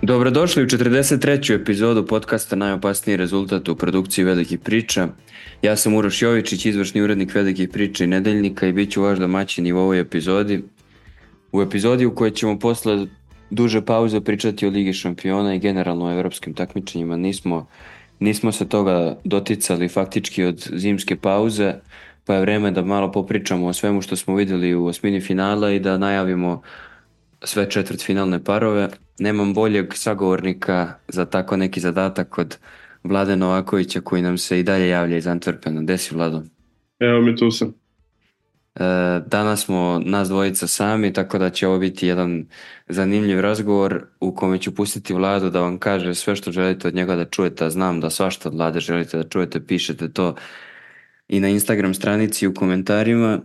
Dobrodošli u 43. epizodu podcasta Najopasniji rezultat u produkciji Velikih priča. Ja sam Uroš Jovičić, izvršni urednik Velikih priča i Nedeljnika i bit ću vaš domaćin i u ovoj epizodi. U epizodi u kojoj ćemo posle duže pauze pričati o Ligi šampiona i generalno o evropskim takmičenjima. Nismo se toga doticali faktički od zimske pauze, pa je vreme da malo popričamo o svemu što smo vidjeli u osmini finala i da najavimo sve četvrtfinalne parove. Nemam boljeg sagovornika za tako neki zadatak od Vlade Novakovića koji nam se i dalje javlja iz Antwerpena. Gde si, Vlado? Evo mi tu sam. Danas smo nas dvojica sami, tako da će ovo biti jedan zanimljiv razgovor u kome ću pustiti Vladu da vam kaže sve što želite od njega da čujete, a znam da svašta od Vlade želite da čujete, pišete to i na Instagram stranici u komentarima.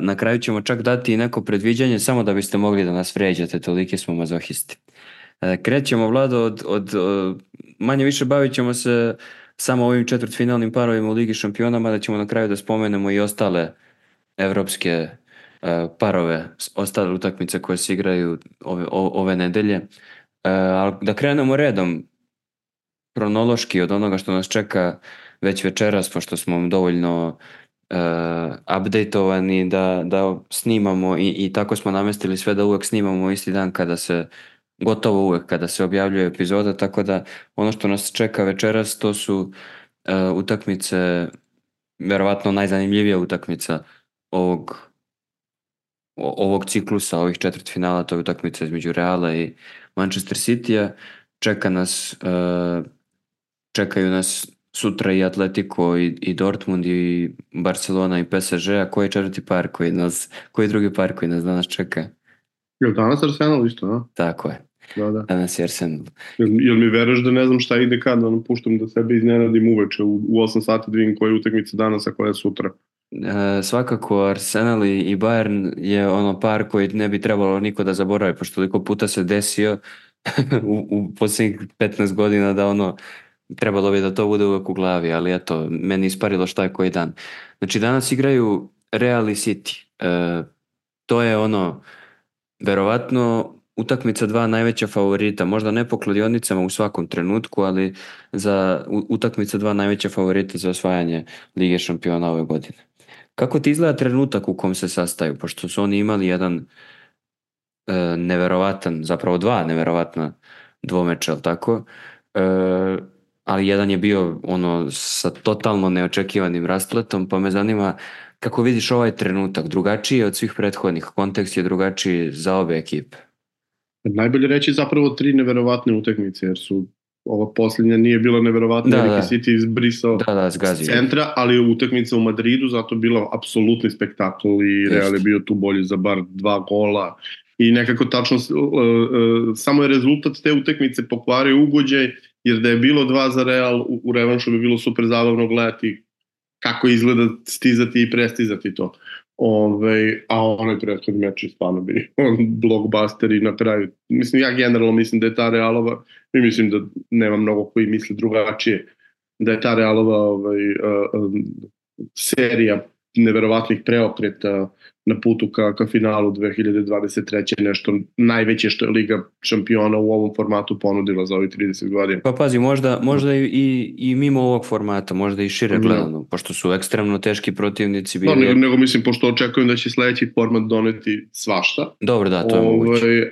Na kraju ćemo čak dati i neko predviđanje samo da biste mogli da nas vređate, toliki smo mazohisti. Krećemo, Vlado, od manje više bavit ćemo se samo ovim četvrtfinalnim parovima u Ligi šampiona, mada ćemo na kraju da spomenemo i ostale evropske parove, ostale utakmice koje se igraju ove nedelje. Ali da krenemo redom, kronološki od onoga što nas čeka već večeras, pošto smo dovoljno updateovani da snimamo i tako smo namestili sve da uvek snimamo isti dan gotovo uvek kada se objavljuje epizoda, tako da ono što nas čeka večeras to su utakmice, verovatno najzanimljivija utakmica ovog ciklusa, ovih četvrtfinala, to je utakmica između Reala i Manchester City-a. Čekaju nas sutra i Atletico i Dortmund i Barcelona i PSG, a koji je četvrti par koji je drugi par koji nas danas čeka? Je li danas Arsenal isto, a? Tako je. Da. Danas je Arsenal. Jel mi veruješ da ne znam šta ide kad, da nam puštam da sebe iznenadim uveče u 8 sati da vidim koja je utakmica danas, a koja je sutra? Svakako Arsenal i Bayern je ono par koji ne bi trebalo niko da zaboravi, pošto toliko puta se desio u posljednjih 15 godina da ono trebalo bi da to bude uvek u glavi, ali eto, meni isparilo šta je koji dan. Znači danas igraju Real i City. To je ono, verovatno utakmica dva najveća favorita, možda ne po kladionicama u svakom trenutku, ali za utakmica dva najveća favorita za osvajanje Lige šampiona ove godine. Kako ti izgleda trenutak u kom se sastaju, pošto su oni imali jedan neverovatan, zapravo dva neverovatna dvomeča, ali tako? Ali jedan je bio ono sa totalno neočekivanim raspletom, pa me zanima kako vidiš ovaj trenutak, drugačiji je od svih prethodnih, kontekst je drugačiji za obe ekipe. Najbolje reći zapravo 3 neverovatne utakmice, jer su ova posljednja nije bila neverovatna, jer je City izbrisao s centra, ali utakmica u Madridu zato bila apsolutni spektakl i Real je bio tu bolji za bar 2 gola i nekako tačno samo je rezultat te utakmice pokvario ugođaj, jer da je bilo 2 za Real u revanšu bi bilo super zabavno gledati kako izgleda stizati i prestizati to. A onaj prethodni meč je stvarno bio blockbuster i na kraju, mislim, ja generalno mislim da je ta Realova, i mislim da nema mnogo koji misle drugačije, da je ta Realova serija neverovatnih preokreta na putu ka finalu 2023. nešto najveće što je Liga šampiona u ovom formatu ponudila za ovih 30 godina. Pa pazi, možda i mimo ovog formata, možda i šire gledano, pošto su ekstremno teški protivnici bili. Nego mislim, pošto očekujem da će sledeći format doneti svašta. Dobro, da, to je moguće.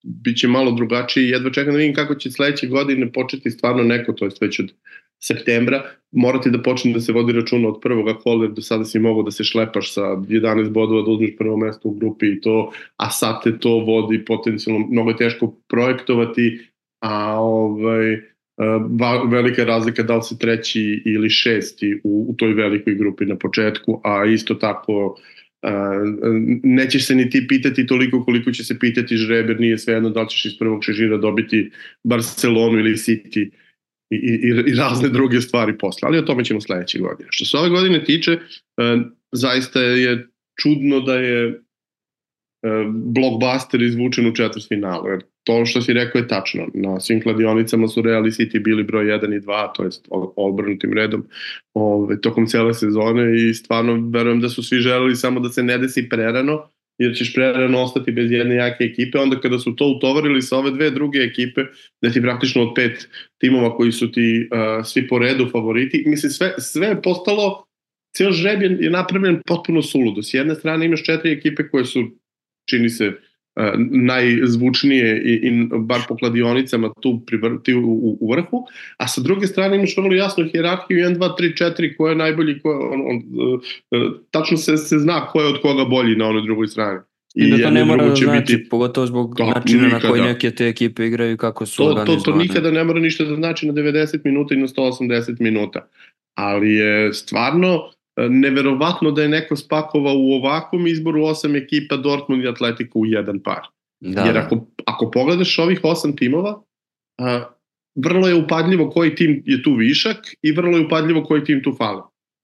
Biće malo drugačiji. Jedva čekam da vidim kako će sledeće godine početi stvarno neko, to je već od septembra, morati da počne da se vodi računa od prvoga kola, jer do sada si mogao da se šlepaš sa 11 bodova, da uzmeš prvo mesto u grupi i to, a sad te to vodi potencijalno, mnogo je teško projektovati, a velika razlika da li si treći ili šesti u toj velikoj grupi na početku, a isto tako nećeš se ni ti pitati toliko koliko će se pitati žreber, nije svejedno da li ćeš iz prvog šežira dobiti Barcelonu ili City i razne druge stvari posle, ali o tome ćemo sledeće godine. Što se ove godine tiče, zaista je čudno da je blockbuster izvučen u četvrtfinalu, jer to što si rekao je tačno. Na svim kladionicama su Real i City bili broj 1 i 2, to jest obrnutim redom tokom cele sezone i stvarno verujem da su svi želeli samo da se ne desi prerano, jer ćeš prerano ostati bez jedne jake ekipe, onda kada su to utovarili sa ove dve druge ekipe, da ti praktično od 5 timova koji su ti svi po redu favoriti, mislim sve je postalo, cijel žreb je napravljen potpuno suludo. S jedne strane imaš 4 ekipe koje su, čini se, najzvučnije i bar po kladionicama tu u vrhu, a sa druge strane imaš vrlo jasnu hijerarhiju 1, 2, 3, 4 ko je najbolji, tačno se zna ko je od koga bolji na onoj drugoj strani. I da to ne mora da znači, pogotovo zbog načina na koji neke te ekipe igraju, kako su organizovane. To nikada ne mora ništa da znači na 90 minuta i na 180 minuta, ali je stvarno neverovatno da je neko spakovao u ovakvom izboru 8 ekipa Dortmund i Atletico u jedan par. Jer ako pogledaš ovih 8 timova, vrlo je upadljivo koji tim je tu višak i vrlo je upadljivo koji tim tu fali.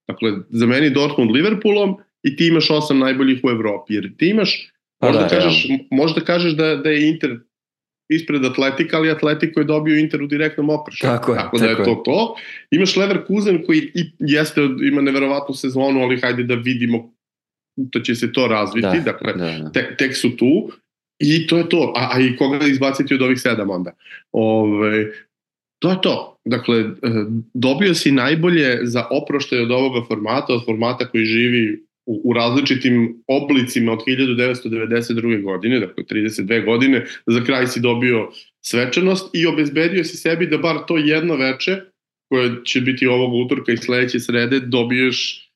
Dakle, za meni Liverpoolom i ti imaš 8 najboljih u Evropi, jer ti imaš, možda kažeš da je Inter ispred Atletika, ali Atletico je dobio Inter u direktnom opršaju. Tako da je to. Imaš Leverkusen koji ima neverovatnu sezonu, ali hajde da vidimo da će se to razviti. Dakle, tek su tu i to je to. A i koga izbaciti od ovih 7 onda? To je to. Dakle, dobio si najbolje za oproštaj od ovoga formata, od formata koji živi u različitim oblicima od 1992. godine, dakle 32 godine, za kraj si dobio svečanost i obezbedio si sebi da bar to jedno veče, koje će biti ovog utorka i sledeće srede, dobiješ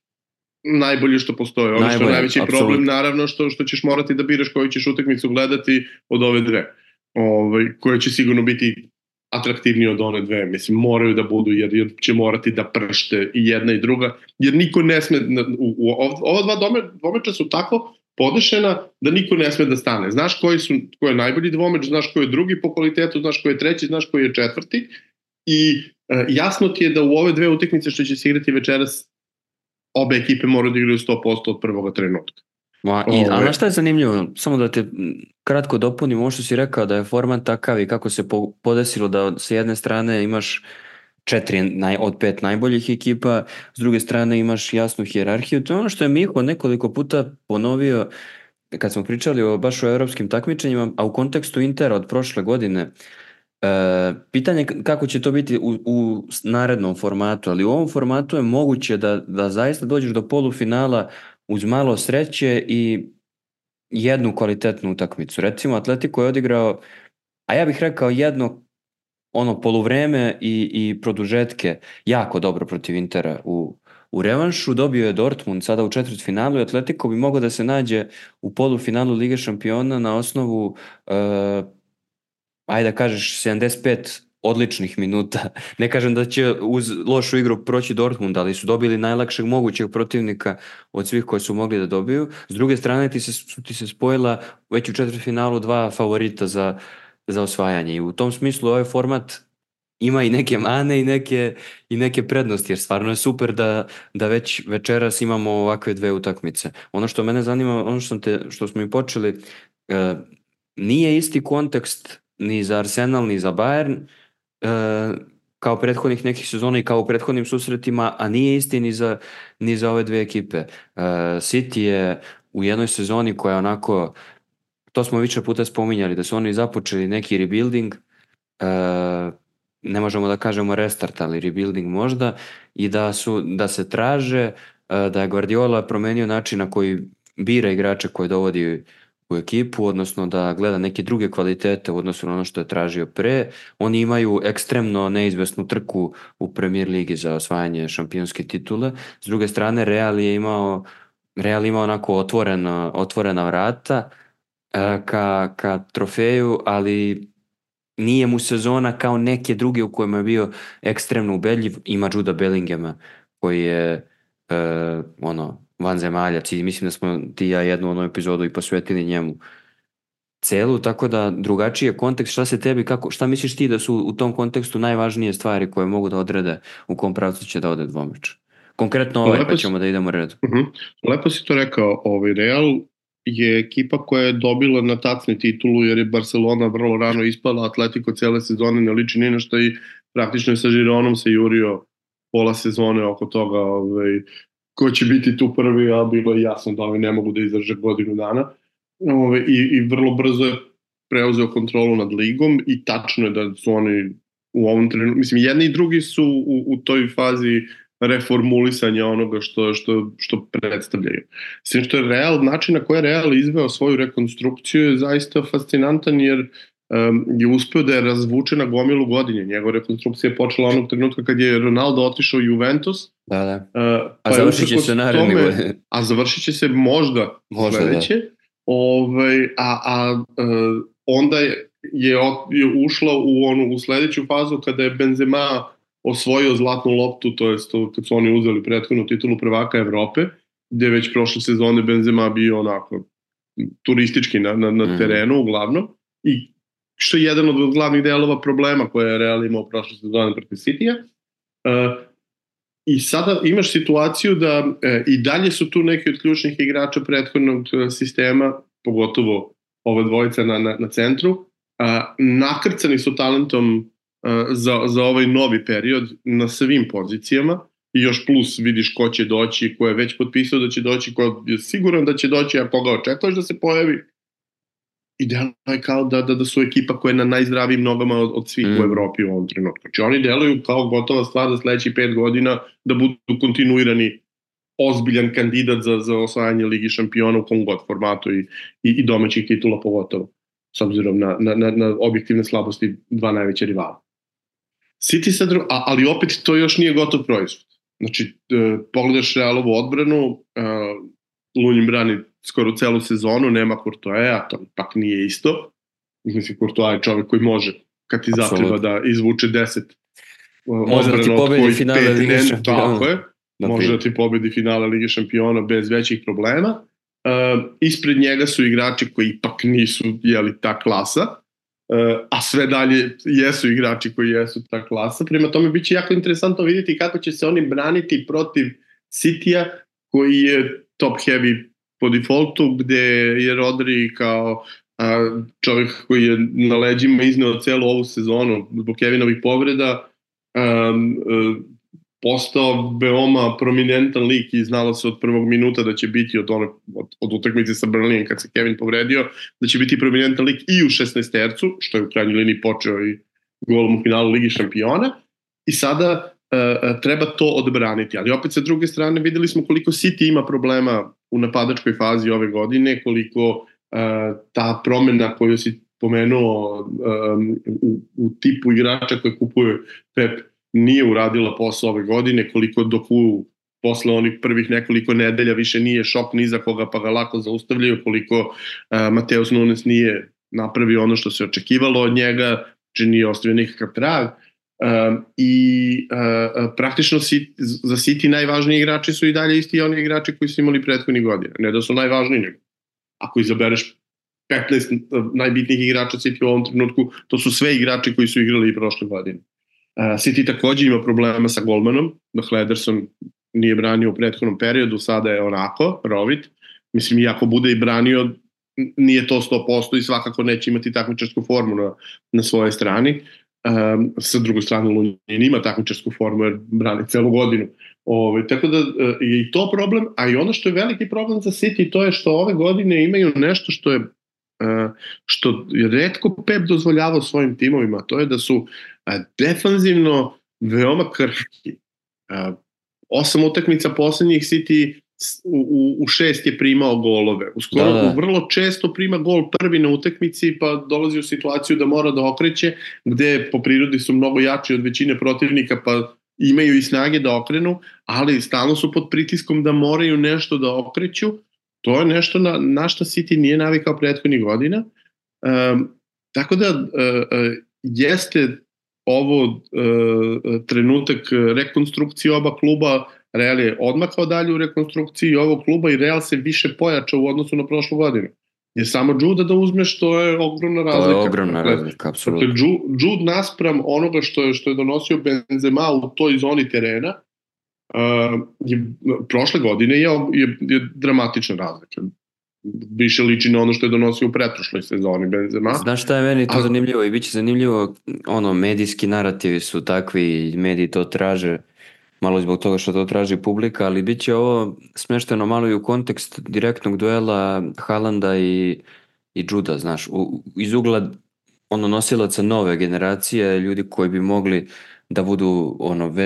najbolje što postoje. Ono što je najveći problem, naravno, što ćeš morati da biraš koju ćeš utakmicu gledati od ove dve, koje će sigurno biti atraktivnije od one dve. Mislim, moraju da budu, jer će morati da pršte i jedna i druga, jer niko ne sme, ova dva dvomeča su tako podešena da niko ne sme da stane. Znaš ko je najbolji dvomeč, znaš ko je drugi po kvalitetu, znaš ko je treći, znaš ko je četvrti i jasno ti je da u ove dve utakmice što će se igrati večeras obe ekipe moraju da igraju 100% od prvoga trenutka. A šta je zanimljivo, samo da te kratko dopunim, ovo što si rekao da je format takav i kako se podesilo da sa jedne strane imaš 4 od 5 najboljih ekipa, s druge strane imaš jasnu hijerarhiju. To je ono što je Miho nekoliko puta ponovio kad smo pričali baš o evropskim takmičenjima, a u kontekstu Intera od prošle godine. Pitanje kako će to biti u narednom formatu, ali u ovom formatu je moguće da zaista dođeš do polufinala uz malo sreće i jednu kvalitetnu utakmicu. Recimo, Atletico je odigrao, a ja bih rekao jedno poluvreme i produžetke jako dobro protiv Intera u revanšu. Dobio je Dortmund sada u četvrtfinalu i Atletico bi mogao da se nađe u polufinalu Lige šampiona na osnovu ajde da kažeš 75 odličnih minuta. Ne kažem da će uz lošu igru proći Dortmund, ali su dobili najlakšeg mogućeg protivnika od svih koji su mogli da dobiju. S druge strane ti se spojila već u četvrtfinalu 2 favorita za osvajanje i u tom smislu ovaj format ima i neke mane i neke prednosti, jer stvarno je super da već večeras imamo ovakve dve utakmice. Ono što mene zanima, ono što smo i počeli, nije isti kontekst ni za Arsenal, ni za Bayern, kao prethodnih nekih sezona i kao u prethodnim susretima, a nije isti ni za ove dve ekipe. City je u jednoj sezoni koja onako, to smo više puta spominjali, da su oni započeli neki rebuilding, ne možemo da kažemo restart, ali rebuilding možda, i da se traže, da je Guardiola promenio način na koji bira igrače koje dovodi u ekipu, odnosno da gleda neke druge kvalitete u odnosu na ono što je tražio pre. Oni imaju ekstremno neizvesnu trku u Premier ligi za osvajanje šampionske titule. S druge strane, Real imao onako otvorena vrata ka trofeju, ali nije mu sezona kao neke druge u kojima je bio ekstremno ubedljiv. Ima Juda Bellinghama koji je vanzemaljac i mislim da smo ti ja jednu onu epizodu i posvetili njemu celu, tako da drugačiji je kontekst. Šta se tebi, šta misliš ti da su u tom kontekstu najvažnije stvari koje mogu da odrede u kom pravcu će da ode dvomeč? Konkretno pa ćemo da idemo redu. Lepo si to rekao, Real je ekipa koja je dobila na tacni titulu jer je Barcelona vrlo rano ispala, Atletico cele sezone ne liči ni na što i praktično je sa Gironom se jurio pola sezone oko toga ko će biti tu prvi, a bilo je jasno da oni ne mogu da izdrže godinu dana. I vrlo brzo je preuzeo kontrolu nad ligom i tačno je da su oni u ovom trenutku, mislim, jedni i drugi su u toj fazi reformulisanja onoga što predstavljaju. Sve što je način na koji je Real izveo svoju rekonstrukciju je zaista fascinantan, jer je uspeo da je razvuče na gomilu godine. Njegova rekonstrukcija je počela onog trenutka kad je Ronaldo otišao u Juventus. Da. A završit će se naredne godine. A završit će se možda sledeće. Onda je ušla u sledeću fazu kada je Benzema osvojio zlatnu loptu, to je kad su oni uzeli prethodnu titulu prvaka Evrope, gde je već prošle sezone Benzema bio onako turistički na terenu uglavnom, i što je jedan od glavnih delova problema koje je Real imao prošle sezone protiv Citya. I sada imaš situaciju da i dalje su tu neki od ključnih igrača prethodnog sistema, pogotovo ove dvojice na centru, nakrcani su talentom za ovaj novi period na svim pozicijama, i još plus vidiš ko će doći, ko je već potpisao da će doći, ko je siguran da će doći, a koga očekuješ da se pojavi. I deluje kao da su ekipa koja je na najzdravijim nogama od svih u Evropi u ovom trenutku. Znači oni deluju kao gotova stvar za sledećih 5 godina da budu kontinuirani ozbiljan kandidat za osvajanje Ligi šampiona u kom god formatu i domaćih titula pogotovo, s obzirom na objektivne slabosti dva najveća rivala. City sad, ali opet to još nije gotov proizvod. Znači, pogledaš Realovu odbranu, Lunin brani skoro celu sezonu, nema Courtoisa, to ipak nije isto. Mislim, Courtois je čovek koji može, kad ti zatreba da izvuče 10 odbrana od kojih 5 ne, tako je, može da ti pobedi finale Lige šampiona bez većih problema. Ispred njega su igrači koji ipak nisu ta klasa, a sve dalje jesu igrači koji jesu ta klasa. Prema tome biće jako interesantno vidjeti kako će se oni braniti protiv Citya, koji je top heavy po defaultu, gde je Rodri kao čovjek koji je na leđima izneo celu ovu sezonu zbog Kevinovih povreda, postao veoma prominentan lik i znalo se od prvog minuta da će biti od utakmice sa Burnleyem kad se Kevin povredio, da će biti prominentan lik i u 16-tercu, što je u krajnjoj liniji počeo i golom u finalu Ligi šampiona, i sada treba to odbraniti. Ali opet sa druge strane videli smo koliko City ima problema u napadačkoj fazi ove godine, koliko ta promena koju si pomenuo u tipu igrača koje kupuje Pep nije uradila posao ove godine, koliko Doku posle onih prvih nekoliko nedelja više nije šok ni za koga pa ga lako zaustavljaju, koliko Mateus Nunes nije napravio ono što se očekivalo od njega, či nije ostavio nikakav trag. Praktično za City najvažniji igrači su i dalje isti oni igrači koji su imali prethodnih godina. Ne da su najvažniji, nego ako izabereš 15 najbitnijih igrača City u ovom trenutku, to su sve igrači koji su igrali i prošle godine. City takođe ima problema sa golmanom, dakle Ederson nije branio u prethodnom periodu, sada je onako, rovit. Mislim, i ako bude i branio, nije to 100% i svakako neće imati takmičarsku formu na svojoj strani. Sa druge strane, Lunin ima takmičarsku formu jer brani celu godinu. Tako da je i to problem, a i ono što je veliki problem za City, to je što ove godine imaju nešto što je retko Pep dozvoljavao svojim timovima, to je da su defanzivno veoma krhki. 8 utakmica poslednjih City u 6 je primao golove. Vrlo često prima gol prvi na utakmici pa dolazi u situaciju da mora da okreće, gde po prirodi su mnogo jači od većine protivnika pa imaju i snage da okrenu, ali stalno su pod pritiskom da moraju nešto da okreću. To je nešto na što City nije navikao prethodnih godina. Tako da jeste ovo trenutak rekonstrukcije oba kluba. Real je odmakao dalje u rekonstrukciji ovog kluba i Real se više pojačao u odnosu na prošlu godinu. Jer samo Jude da uzmeš, to je ogromna razlika. To je ogromna razlika, apsolutno. Dakle, Jude naspram onoga što je donosio Benzema u toj zoni terena, prošle godine je dramatična razlika. Više liči na ono što je donosio u pretprošloj sezoni Benzema. Znaš šta je meni to zanimljivo i bit će zanimljivo, medijski narativi su takvi, mediji to traže. malo zbog toga što to traži publika, ali bit će ovo smešteno malo i u kontekst direktnog duela Haalanda i Juda, znaš, iz ugla nosilaca nove generacije, ljudi koji bi mogli da budu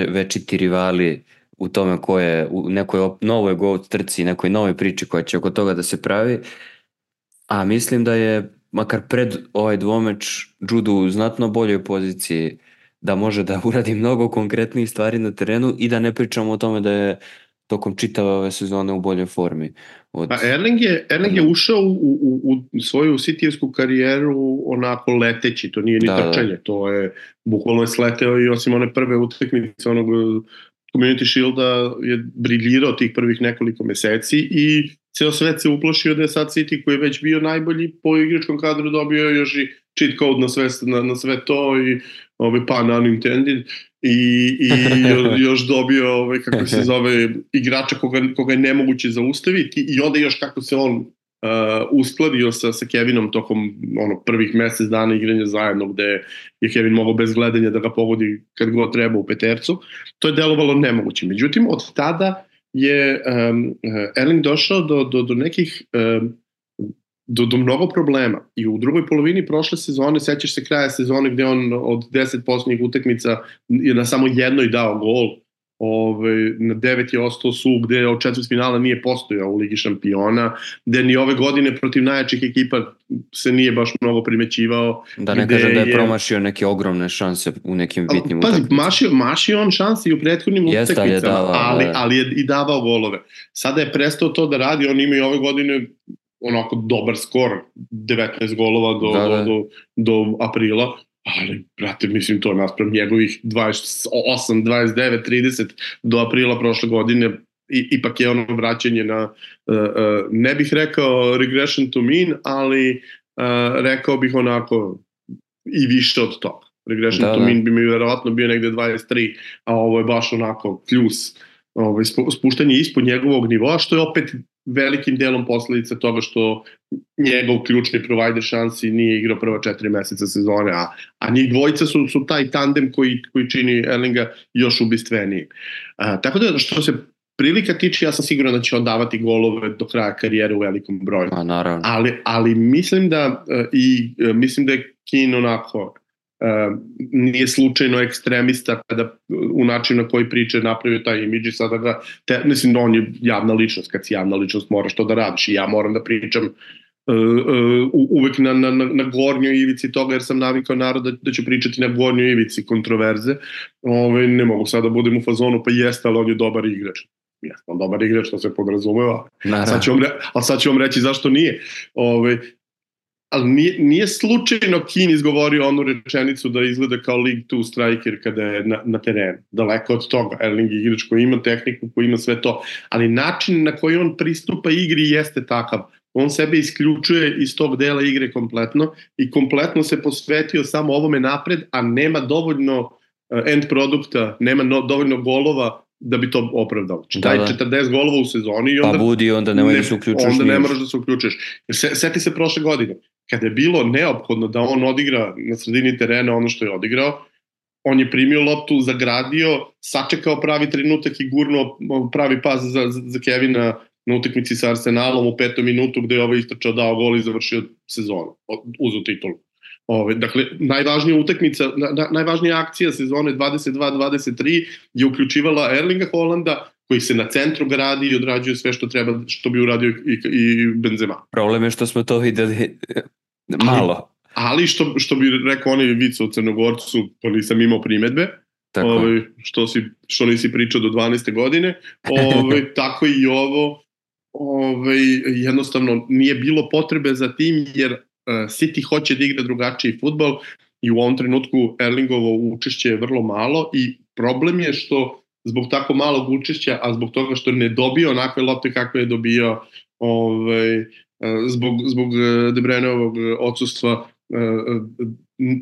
večiti rivali u tome ko je u nekoj novoj GOAT trci, nekoj novoj priči koja će oko toga da se pravi, a mislim da je makar pred ovaj dvomeč Judu u znatno boljoj poziciji da može da uradi mnogo konkretnijih stvari na terenu i da ne pričamo o tome da je tokom čitave ove sezone u boljoj formi. Erling je ušao u svoju Cityjevsku karijeru onako leteći, to nije ni trčanje, to je bukvalno je sleteo i osim one prve utakmice onog Community Shielda je briljirao tih prvih nekoliko meseci i ceo svet se uplašio da je sad City koji je već bio najbolji po igračkom kadru dobio još i cheat code na sve to i pun unintended i još dobio kako se zove igrača koga je nemoguće zaustaviti i onda još kako se on uskladio sa Kevinom tokom prvih mesec dana igranja zajedno gde je Kevin mogao bez gledanja da ga pogodi kad god treba u petercu, to je delovalo nemoguće. Međutim, od tada je Erling došao do nekih do mnogo problema i u drugoj polovini prošle sezone, sećaš se kraja sezone gde on od 10 posljednjih utakmica je na samo jednoj dao gol, na 9 je ostao su gde od četvrtfinala nije postojao u Ligi šampiona, gde ni ove godine protiv najjačih ekipa se nije baš mnogo primećivao. Da ne kažem da je promašio neke ogromne šanse u nekim bitnim utakmicama. Mašio on šanse i u prethodnim utakmicama, ali je i davao golove. Sada je prestao to da radi, on ima i ove godine onako dobar skor, 19 golova do aprila, ali, brate, mislim to naspram njegovih 28, 29, 30 do aprila prošle godine, ipak je ono vraćanje na, ne bih rekao regression to mean, ali rekao bih onako i više od toga. Regression to mean bi mi verovatno bio negde 23, a ovo je baš onako kljus, spuštanje ispod njegovog nivoa, što je opet velikim delom posledica toga što njegov ključni provider šansi nije igrao prva 4 meseca sezone, a njih dvojica su taj tandem koji čini Erlinga još ubistveniji. Tako da što se prilika tiče, ja sam siguran da će on davati golove do kraja karijere u velikom broju. Ali mislim da je Keane onako nije slučajno ekstremista kada u načinu na koji priče napravio taj imidž i sada ga, mislim da on je javna ličnost, kad si javna ličnost moraš to da radiš i ja moram da pričam uvek na gornjoj ivici toga jer sam navikao narod da ću pričati na gornjoj ivici kontroverze, ne mogu sada da budem u fazonu pa jeste, ali on je dobar igrač. Jeste, on dobar igrač, to se podrazumeva, ali sad ću vam reći zašto nije. Ali nije slučajno Keane izgovorio onu rečenicu da izgleda kao League 2 striker kada je na terenu. Daleko od toga. Erling je igrač koji ima tehniku, koji ima sve to. Ali način na koji on pristupa igri jeste takav. On sebe isključuje iz tog dela igre kompletno i kompletno se posvetio samo ovome napred, a nema dovoljno end produkta, nema dovoljno golova da bi to opravdalo. Daj 40 golova u sezoni i onda... Pa budi, onda nemoj da se uključuješ. Onda ne moraš da se uključuješ. Seti se prošle godine. Kada je bilo neophodno da on odigra na sredini terena ono što je odigrao, on je primio loptu, zagradio, sačekao pravi trenutak i gurnuo pravi pas za Kevina na utakmici sa Arsenalom u 5. minutu gde je ovaj istrčao, dao gol i završio sezonu, uzeo titulu. Dakle, najvažnija utakmica, najvažnija akcija sezone 22-23 je uključivala Erlinga Haalanda, koji se na centru gradi i odrađuje sve što treba, što bi uradio i Benzema. Problem je što smo to videli malo. Ali što bi rekao onaj vic o Crnogorcu, to nisam imao primedbe, što nisi pričao do 12. godine, tako i ovo, jednostavno nije bilo potrebe za tim, jer City hoće da igra drugačiji fudbal i u ovom trenutku Erlingovo učešće je vrlo malo i problem je što zbog tako malog učešća, a zbog toga što ne dobio onakve lopte kakve je dobio zbog De Bruyneovog odsustva,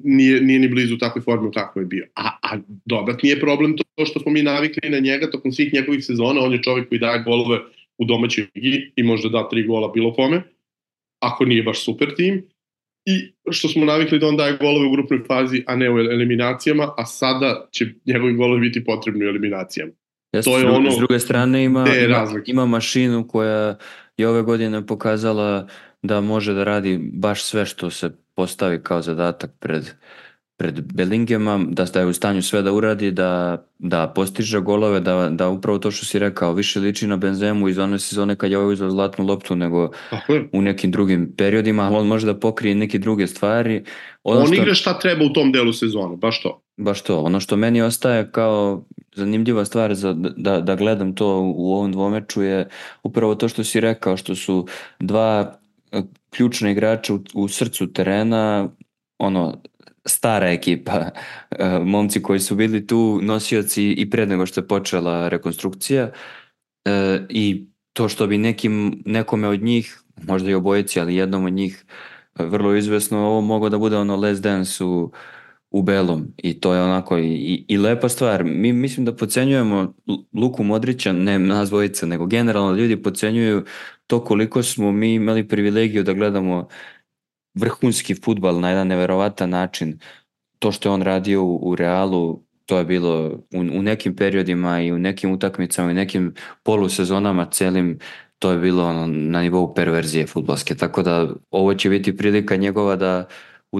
nije ni blizu takve forme kako je bio. A dodatni je problem to što smo mi navikli na njega tokom svih njegovih sezona. On je čovjek koji daje golove u domaćoj ligi i može da 3 gola bilo kome, ako nije baš super tim. I što smo navikli da on daje golove u grupnoj fazi, a ne u eliminacijama, a sada će njegovi golovi biti potrebni u eliminacijama. To je ono s druge strane ima mašinu koja je ove godine pokazala da može da radi baš sve što se postavi kao zadatak pred Bellinghamom, da je u stanju sve da uradi, da postiže golove, da upravo to što si rekao, više liči na Benzemu iz one sezone kad je ovaj uzeo zlatnu loptu nego u nekim drugim periodima, ali on može da pokrije neke druge stvari. On igra šta treba u tom delu sezone, baš to. Baš to. Ono što meni ostaje kao zanimljiva stvar da gledam to u ovom dvomeču je upravo to što si rekao, što su dva ključna igrača u srcu terena, stara ekipa, momci koji su bili tu nosioci i pred nego što je počela rekonstrukcija, i to što bi nekome od njih, možda i obojici, ali jednom od njih vrlo izvesno, ovo moglo da bude Last Dance u belom, i to je onako i lepa stvar. Mi mislim da podcenjujemo Luku Modrića, ne nas dvojica, nego generalno ljudi podcenjuju to koliko smo mi imali privilegiju da gledamo vrhunski fudbal na jedan neverovatan način. To što je on radio u Realu, to je bilo u nekim periodima i u nekim utakmicama i nekim polusezonama celim, to je bilo na nivou perverzije fudbalske, tako da ovo će biti prilika njegova da u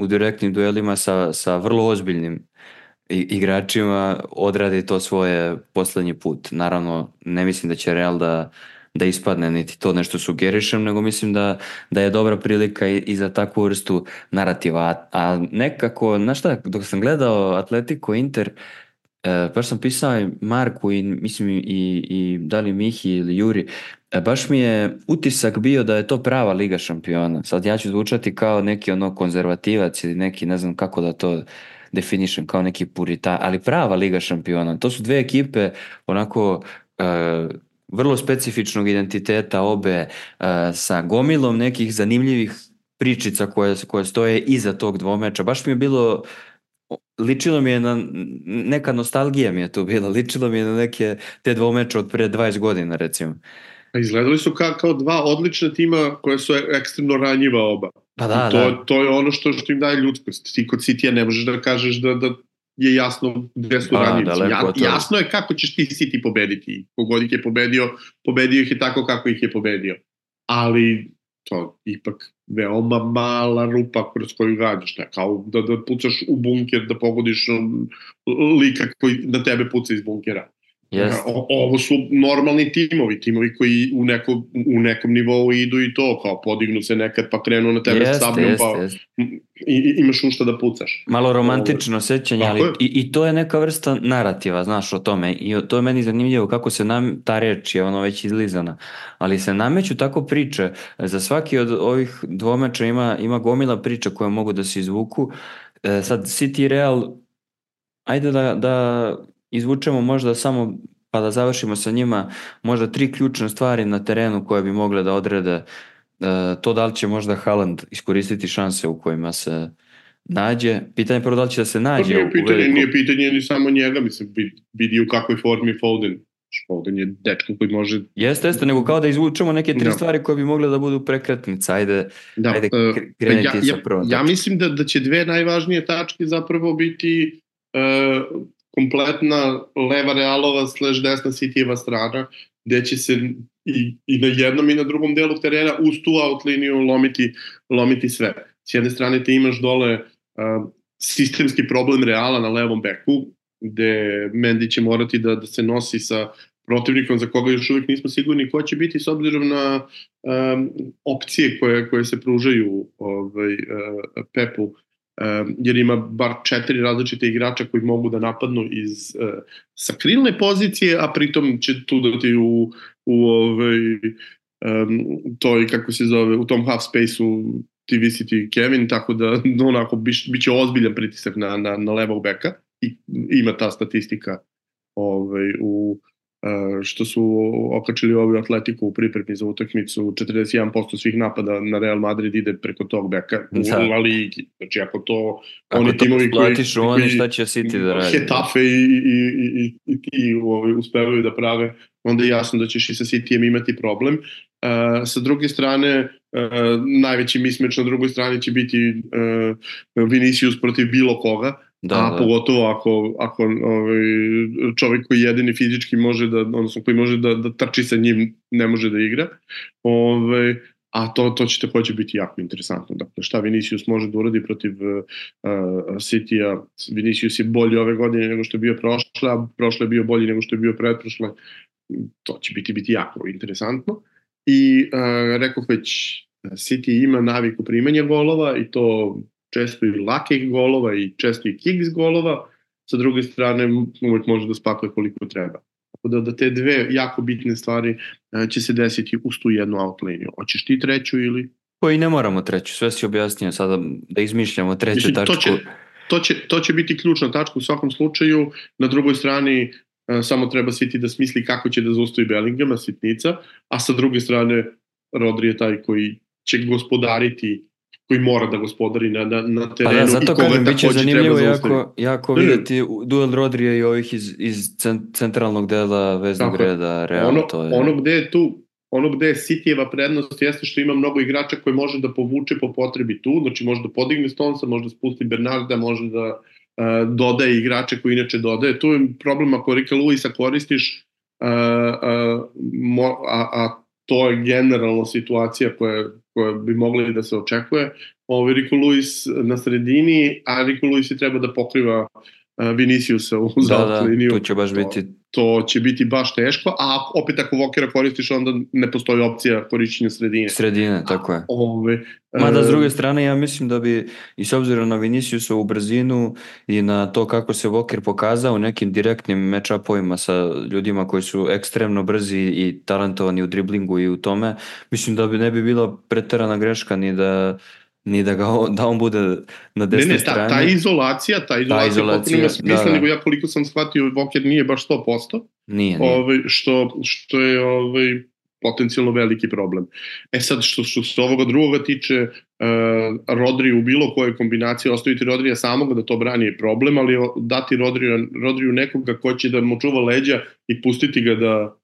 direktnim duelima sa vrlo ozbiljnim igračima odradi to svoje poslednji put. Naravno, ne mislim da će Real da ispadne, niti to nešto sugerišem, nego mislim da je dobra prilika i za takvu vrstu narativa. A nekako, znaš šta, dok sam gledao Atletico Inter, baš sam pisao Marku i mislim i da li Mihi ili Juri, baš mi je utisak bio da je to prava Liga šampiona. Sad ja ću zvučati kao neki konzervativac ili neki, ne znam kako da to definišem, kao neki purita, ali prava Liga šampiona. To su dve ekipe onako vrlo specifičnog identiteta obe, sa gomilom nekih zanimljivih pričica koje stoje iza tog dvomeča. Baš mi je bilo, ličilo mi je na, neka nostalgija mi je tu bila, ličilo mi je na neke te dvomeče od pre 20 godina recimo. Izgledali su kao dva odlična tima koja su ekstremno ranjiva oba. Pa da, to je ono što im daje ljudskost. Ti kod City-a ne možeš da kažeš da je jasno gde su ranjivci. Jasno je kako ćeš ti City pobediti. Kogod ih je pobedio ih je tako kako ih je pobedio. Ali to ipak veoma mala rupa kroz koju gađaš. Kao da pucaš u bunker, da pogodiš lika koji na tebe puca iz bunkera. Ovo su normalni timovi koji u nekom nivou idu i to, kao podignu se nekad pa krenu na tebe sabljom, pa imaš u šta da pucaš. Malo romantično sećanje, ali i to je neka vrsta narativa, znaš, o tome, i to je meni zanimljivo kako se ta reč je već izlizana, ali se nameću tako priče. Za svaki od ovih dvomeča ima gomila priča koje mogu da se izvuku. Sad City Real, ajde da izvučemo možda samo, pa da završimo sa njima, možda 3 ključne stvari na terenu koje bi mogle da odrede to da li će možda Haaland iskoristiti šanse u kojima se nađe. Pitanje prvo da li će da se nađe u veliku. Nije pitanje ni samo njega, mislim, vidi u kakvoj formi Foden. Foden je dečko koji može... Jeste, nego kao da izvučemo neke 3 stvari koje bi mogle da budu prekretnice. Ajde kreniti sa prvom. Ja mislim da će 2 najvažnije tačke zapravo biti kompletna leva Realova / desna Cityjeva strana, gde će se i na jednom i na drugom delu terena uz tu out liniju lomiti sve. S jedne strane ti imaš dole sistemski problem Reala na levom beku, gde Mendy će morati da se nosi sa protivnikom za koga još uvijek nismo sigurni ko će biti s obzirom na opcije koje se pružaju Pepu, jer ima bar 4 različite igrača koji mogu da napadnu sa krilne pozicije, a pritom će tu dati toj, kako se zove, u tom half space-u ti visiti Kevin, tako da onako biće ozbiljan pritisak na levog beka i ima ta statistika što su okačili ovi Atletico u pripremi za utakmicu, 41% svih napada na Real Madrid ide preko tog beka u La Ligi. Znači ako to oni timovi koji Hetafe i ti uspevaju da prave, onda je jasno da ćeš i sa Cityjem imati problem. Sa druge strane, najveći mismeč na drugoj strani će biti Vinicius protiv bilo koga, a pogotovo ako čovjek koji jedini fizički može da, odnosno koji može da trči sa njim, ne može da igra. A to će takođe biti jako interesantno. Dakle, šta Vinicius može da uradi protiv City-a? Vinicius je bolji ove godine nego što je bio prošle, a prošle je bio bolji nego što je bio pretprošle. To će biti jako interesantno. I rekao već, City ima naviku primanja golova i to često i lakih golova i često i kicks golova. Sa druge strane, uvek može da spakuje koliko treba. Tako da te dve jako bitne stvari će se desiti uz tu jednu out liniju. Hoćeš ti treću ili? Pa i ne moramo treću, sve si objasnio sada da izmišljamo treću tačku. To će biti ključna tačka u svakom slučaju. Na drugoj strani samo treba City da smisli kako će da zaustavi Bellinghama, sitnica, a sa druge strane Rodri je taj koji će gospodariti, koji mora da gospodari na terenu. Pa da, zato kažem, bit će zanimljivo jako vidjeti duel Rodrija i ovih iz centralnog dela veznog reda. Ono gde je Cityjeva prednost jeste što ima mnogo igrača koji može da povuče po potrebi tu, znači može da podigne Stonesa, može da spusti Bernarda, može da dodaje igrače koji inače dodaje. Tu je problem ako Rika Luisa koristiš, a to je generalno situacija koja bi mogla da se očekuje. Rico Lewis na sredini, a Rico Lewis treba da pokriva Viniciusa u liniju. To će baš biti... To će biti baš teško, a opet ako Walkera koristiš, onda ne postoji opcija korišćenja sredine. Sredine, tako je. Mada s druge strane, ja mislim da bi, i s obzirom na Viniciusovu brzinu i na to kako se Walker pokazao u nekim direktnim match-upovima sa ljudima koji su ekstremno brzi i talentovani u driblingu i u tome, mislim da ne bi bila preterana greška ni da on bude na desnoj strani. Ta izolacija potpuno ima smisla, nego ja koliko sam shvatio, Walker nije baš 100%, nije. Što je potencijalno veliki problem. Sad, što se ovoga drugoga tiče, Rodri u bilo kojoj kombinaciji, ostaviti Rodrija samog da to brani je problem, ali dati Rodriju nekoga ko će da mu čuva leđa i pustiti ga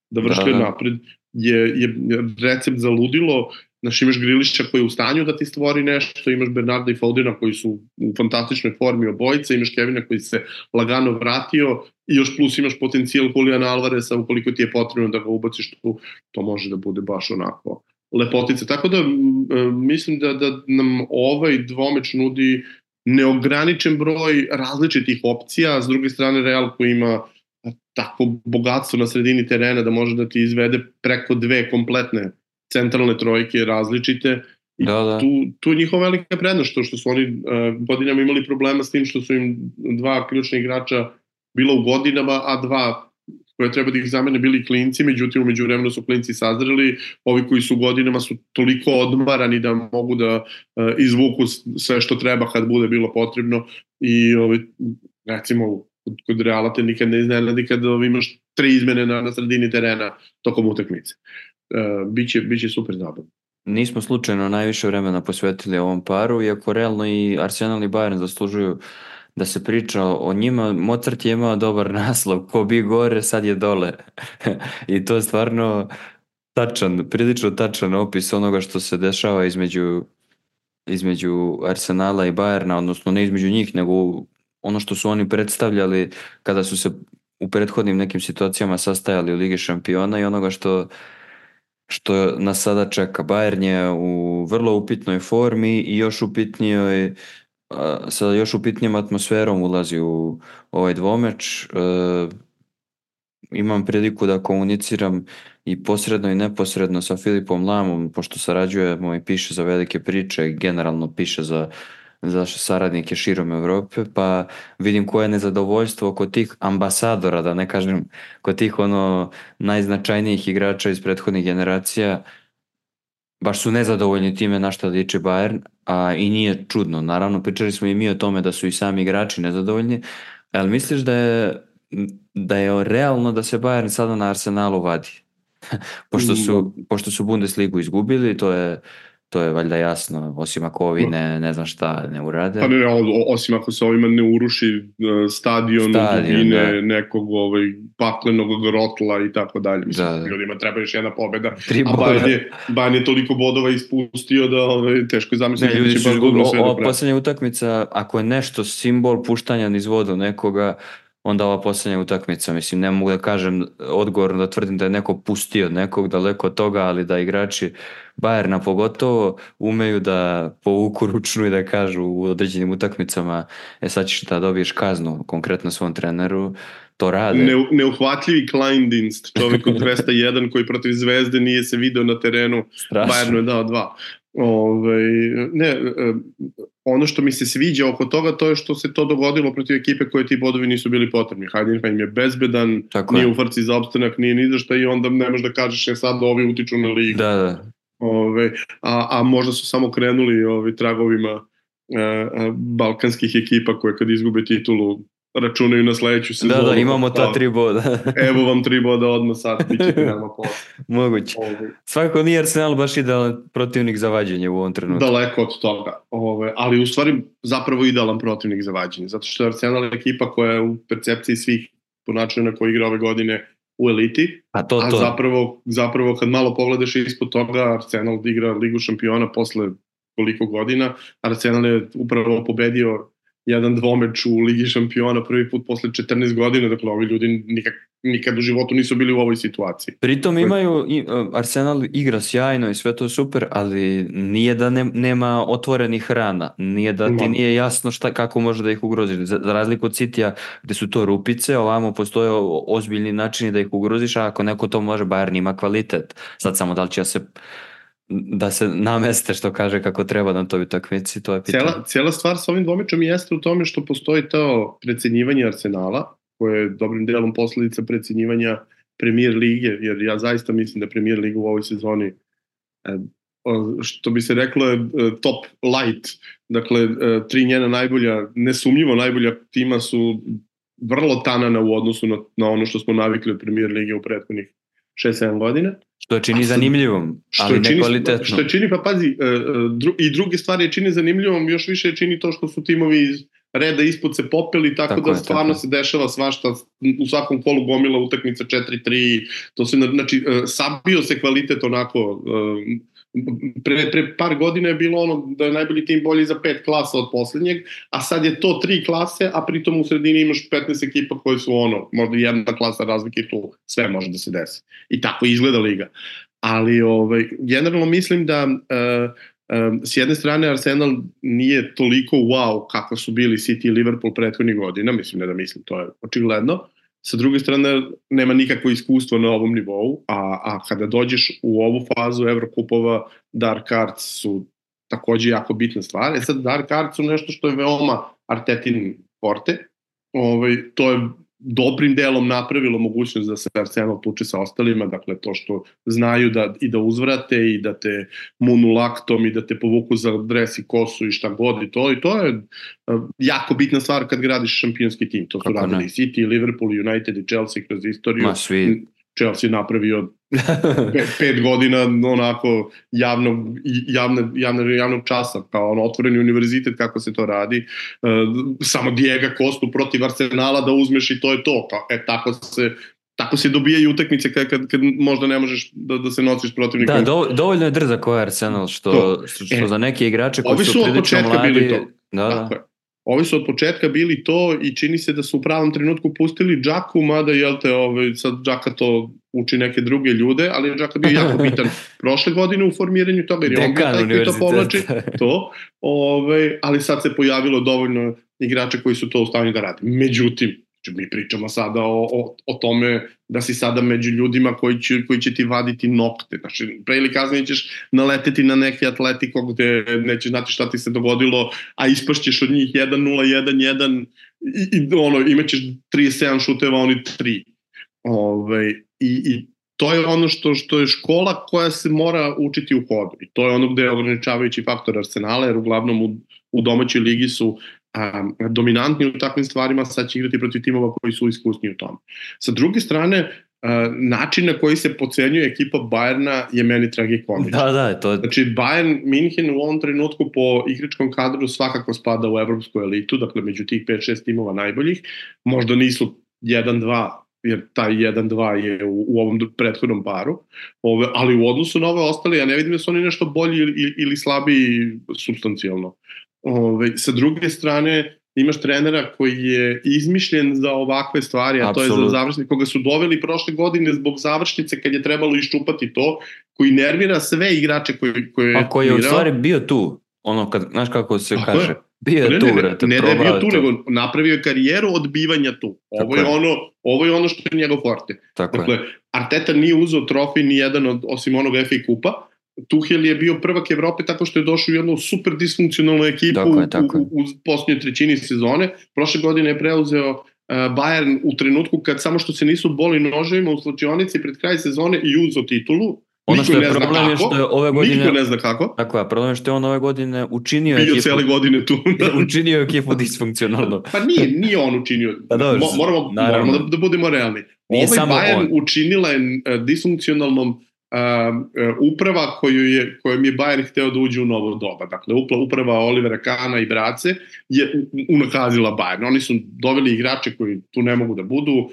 da vršlje napred je recept za ludilo. Znaš, imaš Grilića koji je u stanju da ti stvori nešto, imaš Bernarda i Fodena koji su u fantastičnoj formi obojica, imaš Kevina koji se lagano vratio i još plus imaš potencijal Juliana Alvareza, ukoliko ti je potrebno da ga ubaciš tu, to može da bude baš onako lepotica. Tako da mislim da nam ovaj dvomeč nudi neograničen broj različitih opcija, a s druge strane Real koji ima tako bogatstvo na sredini terena da može da ti izvede preko dve kompletne centralne trojke različite i tu je njihova velika prednost što su oni godinama imali problema s tim što su im dva ključna igrača bila u godinama, a dva koje treba da ih zamene bili klinci, međutim umeđu vremenu su klinci sazreli, ovi koji su godinama su toliko odmarani da mogu da izvuku sve što treba kad bude bilo potrebno i recimo kod Reala te nikad ne iznenadi kad imaš 3 izmene na sredini terena tokom utakmice. Biće super zabavno. Nismo slučajno najviše vremena posvetili ovom paru, iako realno i Arsenal i Bayern zaslužuju da se priča o njima. Mozart je imao dobar naslov, ko bi gore, sad je dole. I to je stvarno prilično tačan opis onoga što se dešava između Arsenala i Bayerna, odnosno ne između njih, nego ono što su oni predstavljali kada su se u prethodnim nekim situacijama sastajali u Ligi šampiona i onoga što nas sada čeka. Bayern je u vrlo upitnoj formi i sa još upitnijom atmosferom ulazi u ovaj dvomeč. Imam priliku da komuniciram i posredno i neposredno sa Filipom Lamom, pošto sarađujemo i piše za velike priče, generalno piše za saradnike širom Evrope, pa vidim koje je nezadovoljstvo kod tih ambasadora, da ne kažem kod tih najznačajnijih igrača iz prethodnih generacija. Baš su nezadovoljni time na što liči Bayern, a i nije čudno. Naravno, pričali smo i mi o tome da su i sami igrači nezadovoljni, ali misliš da je realno da se Bayern sada na Arsenalu vadi? Pošto su Bundesligu izgubili, to je to je valjda jasno, osim ako ovi ne znam šta ne urade. Pa ne, osim ako se ovima ne uruši stadion dubine nekog paklenog grotla i tako dalje. Mislim, ljudima treba još jedna pobjeda, a Bayern je toliko bodova ispustio da teško je zamisliti. Ljudi su ova posljednja utakmica, ako je nešto simbol puštanja niz vodu nekoga, onda ova posljednja utakmica, mislim, ne mogu da kažem odgovorno da tvrdim da je neko pustio nekog daleko od toga, ali da igrači Bayerna pogotovo umeju da povuku ručnu i da kažu u određenim utakmicama sad ćeš da dobiješ kaznu konkretno svom treneru, to rade. Neuhvatljivi Kleindienst, čovjek od 201 koji protiv Zvezde nije se video na terenu, Bayernu je dao 2. Ono što mi se sviđa oko toga, to je što se to dogodilo protiv ekipe koje ti bodovi nisu bili potrebni. Heidenheim je bezbedan, nije u frci za opstanak, nije ni za šta i onda ne možeš da kažeš sad ovi utiču na ligu. A možda su samo krenuli tragovima balkanskih ekipa koje kad izgube titulu računaju na sledeću sezonu. Da, imamo ta 3 boda. Evo vam 3 boda odmah sad, bit ćete nama posle. Moguće. Svakako nije Arsenal baš idealan protivnik za vađenje u ovom trenutku. Daleko od toga. Ali u stvari zapravo idealan protivnik za vađenje. Zato što je Arsenal ekipa koja je u percepciji svih po načinu na koji igra ove godine u eliti. A zapravo kad malo pogledaš ispod toga, Arsenal igra Ligu šampiona posle koliko godina. Arsenal je upravo pobedio jedan dvomeč u Ligi šampiona prvi put posle 14 godina, dakle ovi ljudi nikad u životu nisu bili u ovoj situaciji. Pritom Arsenal igra sjajno i sve to super, ali nije da nema otvorenih rana, nije da ti nije jasno kako može da ih ugroziš. Za razliku od Citya gde su to rupice, ovamo postoje ozbiljni načini da ih ugroziš, a ako neko to može, Bayern ima kvalitet. Sad samo da li će da se nameste, što kaže, kako treba na toj utakmici, to je pitanje. Cijela stvar sa ovim dvomečom jeste u tome što postoji to precenjivanje Arsenala, koje je dobrim delom posledica precenjivanja Premier lige, jer ja zaista mislim da Premier liga u ovoj sezoni, što bi se reklo, je top light. Dakle, 3 njena najbolja, nesumnjivo najbolja tima su vrlo tanana u odnosu na ono što smo navikli od Premier lige u prethodnih 6-7 godina. Što je čini zanimljivom, ali nekvalitetno. Što je čini, pa pazi, i druge stvari je čini zanimljivom, još više je čini to što su timovi iz reda ispod se popeli, tako da stvarno se dešava svašta, u svakom kolu gomila utakmica 4-3, to se, znači, sabio se kvalitet onako, pre par godina je bilo ono da je najbolji tim bolji za 5 klasa od posljednjeg, a sad je to 3 klase, a pritom u sredini imaš 15 ekipa koje su ono, možda jedna klasa razlike i tu sve može da se desi. I tako izgleda liga. Ali generalno mislim da s jedne strane Arsenal nije toliko wow kako su bili City i Liverpool prethodnih godina, mislim ne da mislim, to je očigledno. Sa druge strane, nema nikakvo iskustvo na ovom nivou, a kada dođeš u ovu fazu Evrokupova, Dark Arts su takođe jako bitna stvar. Sad, Dark Arts su nešto što je veoma Artetin forte. To je dobrim delom napravilo mogućnost da se Arsenal tuče sa ostalima, dakle to što znaju da uzvrate i da te munu laktom i da te povuku za dres i kosu i šta god i to je jako bitna stvar kad gradiš šampionski tim. To su radili City, Liverpool, United i Chelsea kroz istoriju. Chelsea napravio 5 godina onako javnog časa, kao otvoreni univerzitet kako se to radi, samo Diego Costu protiv Arsenala da uzmeš i to je to, tako se dobijaju utakmice kad možda ne možeš da se nosiš protivnikom. Da, dovoljno je drzak koji je Arsenal, što za neke igrače koji su prilično mladi. Ovi su od početka bili to i čini se da su u pravom trenutku pustili Džaku, mada sad Džaka to uči neke druge ljude, ali je Džaka bio jako bitan prošle godine u formiranju toga, jer je on bio taj koji to povlači, ali sad se pojavilo dovoljno igrača koji su to u stanju da rade. Međutim, mi pričamo sada o tome da si sada među ljudima koji će ti vaditi nokte. Znači, pre ili kasnije ćeš naleteti na neki Atletico gde nećeš znati šta ti se dogodilo, a ispašćeš od njih 1-0, 1-1 i imaćeš 37 šuteva, oni 3. I to je ono što je škola koja se mora učiti u hodu. I to je ono gde je ograničavajući faktor Arsenala, jer uglavnom u domaćoj ligi su dominantni u takvim stvarima, sad će igrati protiv timova koji su iskusni u tome. Sa druge strane, način na koji se pocenjuje ekipa Bayerna je meni tragikomičan. Da, to je... Znači, Bayern München u ovom trenutku po igračkom kadru svakako spada u evropsku elitu, dakle među tih 5-6 timova najboljih, možda nisu 1-2, jer taj 1-2 je u ovom prethodnom paru, ali u odnosu na ove ostale, ja ne vidim da su oni nešto bolji ili slabiji substancijalno. Sa druge strane, imaš trenera koji je izmišljen za ovakve stvari, a to je za završnice, koga su doveli prošle godine zbog završnice kad je trebalo iščupati to, koji nervira sve igrače koje je... A koji je u stvari bio tu, ono, znaš kako se kaže, bio je tu, brate, ne da je bio tu, nego napravio je karijeru odbivanja tu. Ovo je ono što je njegov forte. Dakle, Arteta nije uzeo trofej ni jedan osim onog FA kupa. Tuchel je bio prvak Evrope tako što je došao u jednu super disfunkcionalnu ekipu u posljednjoj trećini sezone. Prošle godine je preuzeo Bayern u trenutku kad samo što se nisu boli noževima u slačionici pred kraj sezone i uzeo titulu. Ono što je problem je što je ove godine... Niko ne zna kako. Tako je, problem je što je on ove godine učinio ekipu... Bio cijele godine tu. Učinio ekipu disfunkcionalno. Pa nije on učinio. Moramo da budemo realni. Bayern učinila je disfunkcionalnom uprava kojom je Bayern hteo da uđe u novo doba. Dakle, uprava Olivera Kahna i brace je unakazila Bayern. Oni su doveli igrače koji tu ne mogu da budu,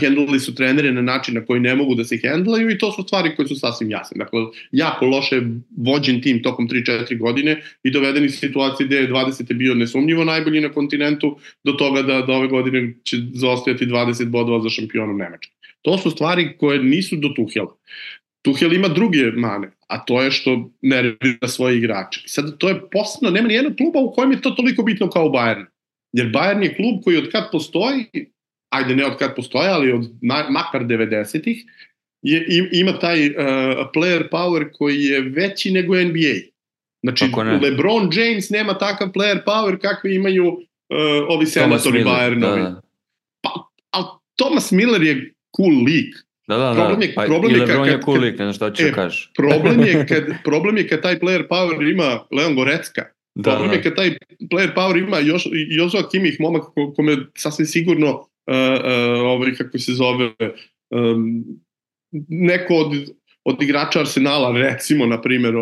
hendlali su trenere na način na koji ne mogu da se hendlaju i to su stvari koje su sasvim jasne. Dakle, jako loše vođen tim tokom 3-4 godine i dovedeni situacije gde je 20. bio nesumnjivo najbolji na kontinentu do toga da ove godine će zaostajati 20 bodova za šampionom Nemačke. To su stvari koje nisu do Tuchela. Tuchel ima druge mane, a to je što nervira svoje igrače. Sad, to je posebno, nema ni jednog kluba u kojem je to toliko bitno kao Bayern. Jer Bayern je klub koji od kad postoji, ajde ne od kad postoji, ali od makar 90-ih, ima taj player power koji je veći nego NBA. Znači, LeBron James nema takav player power kakvi imaju ovi senatori Bayernovi. Ali Thomas Miller je cool lik. Problem je LeBron je cool lik, ne znam šta ću kažeš. Problem je kad taj player power ima Leon Goretzka. Problem je kad taj player power ima Joshua Kimmich, momak kome sasvim sigurno kako se zove neko od igrača Arsenala, recimo, na primjer,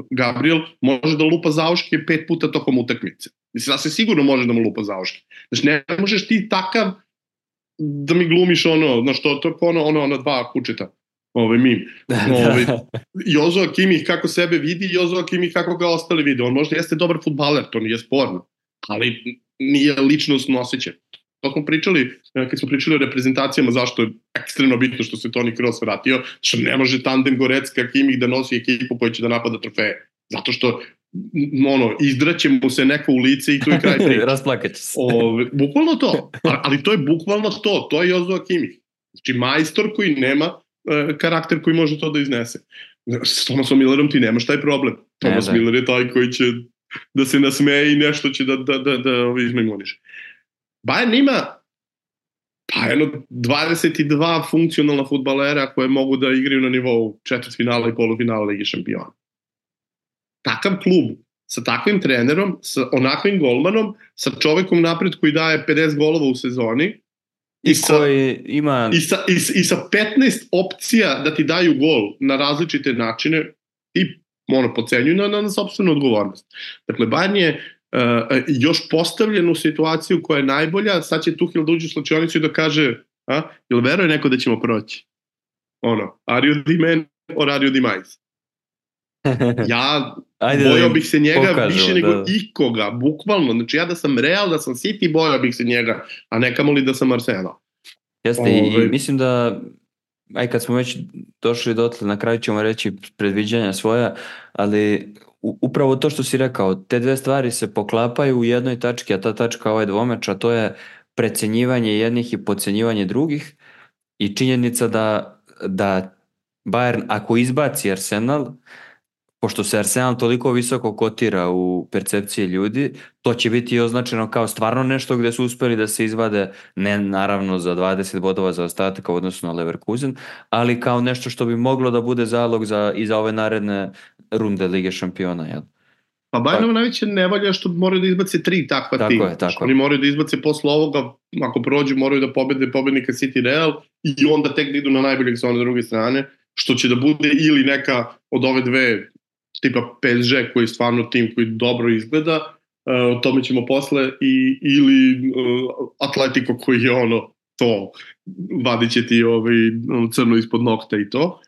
Gabriel, može da lupa zauške 5 puta tokom utakmice. Mislim, sasvim sigurno može da mu lupa zauške. Znači, ne možeš ti takav da mi glumiš znaš, to je ono dva kučeta, mim. Joshua Kimmich kako sebe vidi, Joshua Kimmich kako ga ostali vide. On možda jeste dobar fudbaler, to nije sporno, ali nije ličnostno osjećaj. To smo pričali, kad smo pričali o reprezentacijama, zašto je ekstremno bitno što se Toni Kroos vratio, što ne može tandem Goretzka Kimmich da nosi ekipu koja će da napada trofeje. Zato što izdraće mu se neko u lice i tu je kraj priče. Rasplakaće se. Bukvalno to. Ali to je bukvalno to. To je Joshua Kimmich. Znači, majstor koji nema karakter koji može to da iznese. S Thomasom Millerom ti nemaš taj problem. Thomas Miller je taj koji će da se nasmeje i nešto će da izmajmuniš. Bayern ima 22 funkcionalna fudbalera koje mogu da igraju na nivou četvrtfinala i polufinala Lige šampiona. Takav klub, sa takvim trenerom, sa onakvim golmanom, sa čovekom napred koji daje 50 golova u sezoni i sa 15 opcija da ti daju gol na različite načine i pocenjuju na sopstvenu odgovornost. Dakle, Bayern je još postavljen u situaciju koja je najbolja, sad će Tuchel da uđe u slačionicu i da kaže, jel veruje neko da ćemo proći? Are you the man or are you the mice? Ja bojao bih se njega više nego ikoga, bukvalno. Znači ja da sam Real, da sam City, bojao bih se njega, a ne kamoli da sam Arsenal. Jeste, i mislim da kad smo već došli dotle, na kraju ćemo reći predviđanja svoja, ali upravo to što si rekao, te dve stvari se poklapaju u jednoj tački, a ta tačka ovaj dvomeč, a to je precenjivanje jednih i podcenjivanje drugih i činjenica da Bayern ako izbaci Arsenal, pošto se Arsenal toliko visoko kotira u percepciji ljudi, to će biti označeno kao stvarno nešto gde su uspeli da se izvade, ne naravno za 20 bodova za ostatak u odnosu na Leverkusen, ali kao nešto što bi moglo da bude zalog i za ove naredne runde Lige šampiona. Jel? Pa Bayernova najveća nevolja što moraju da izbace 3 takva tima. Oni moraju da izbace posle ovoga, ako prođu, moraju da pobede pobednika City Real i onda tek da idu na najboljeg sa one druge strane, što će da bude ili neka od ove dve tipa PSG koji je stvarno tim koji dobro izgleda, o tome ćemo posle, ili Atletico koji je ono to, vadit će ti crno ispod nokta i to.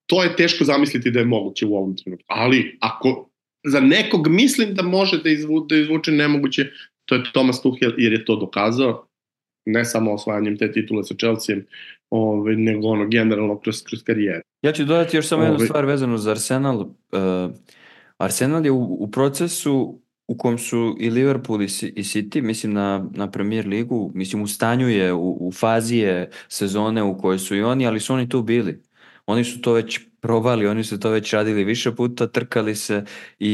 To je teško zamisliti da je moguće u ovom trenutku, ali ako za nekog mislim da može da izvuče nemoguće, to je Thomas Tuchel, jer je to dokazao, ne samo osvajanjem te titule sa Chelseaem, nego generalno kroz karijeru. Ja ću dodati još samo jednu stvar vezanu za Arsenal. Arsenal je u procesu u kom su i Liverpool i City, mislim na Premier ligu, mislim u stanju je, u fazi je sezone u kojoj su i oni, ali su oni tu bili. Oni su to već probali, oni su to već radili više puta, trkali se i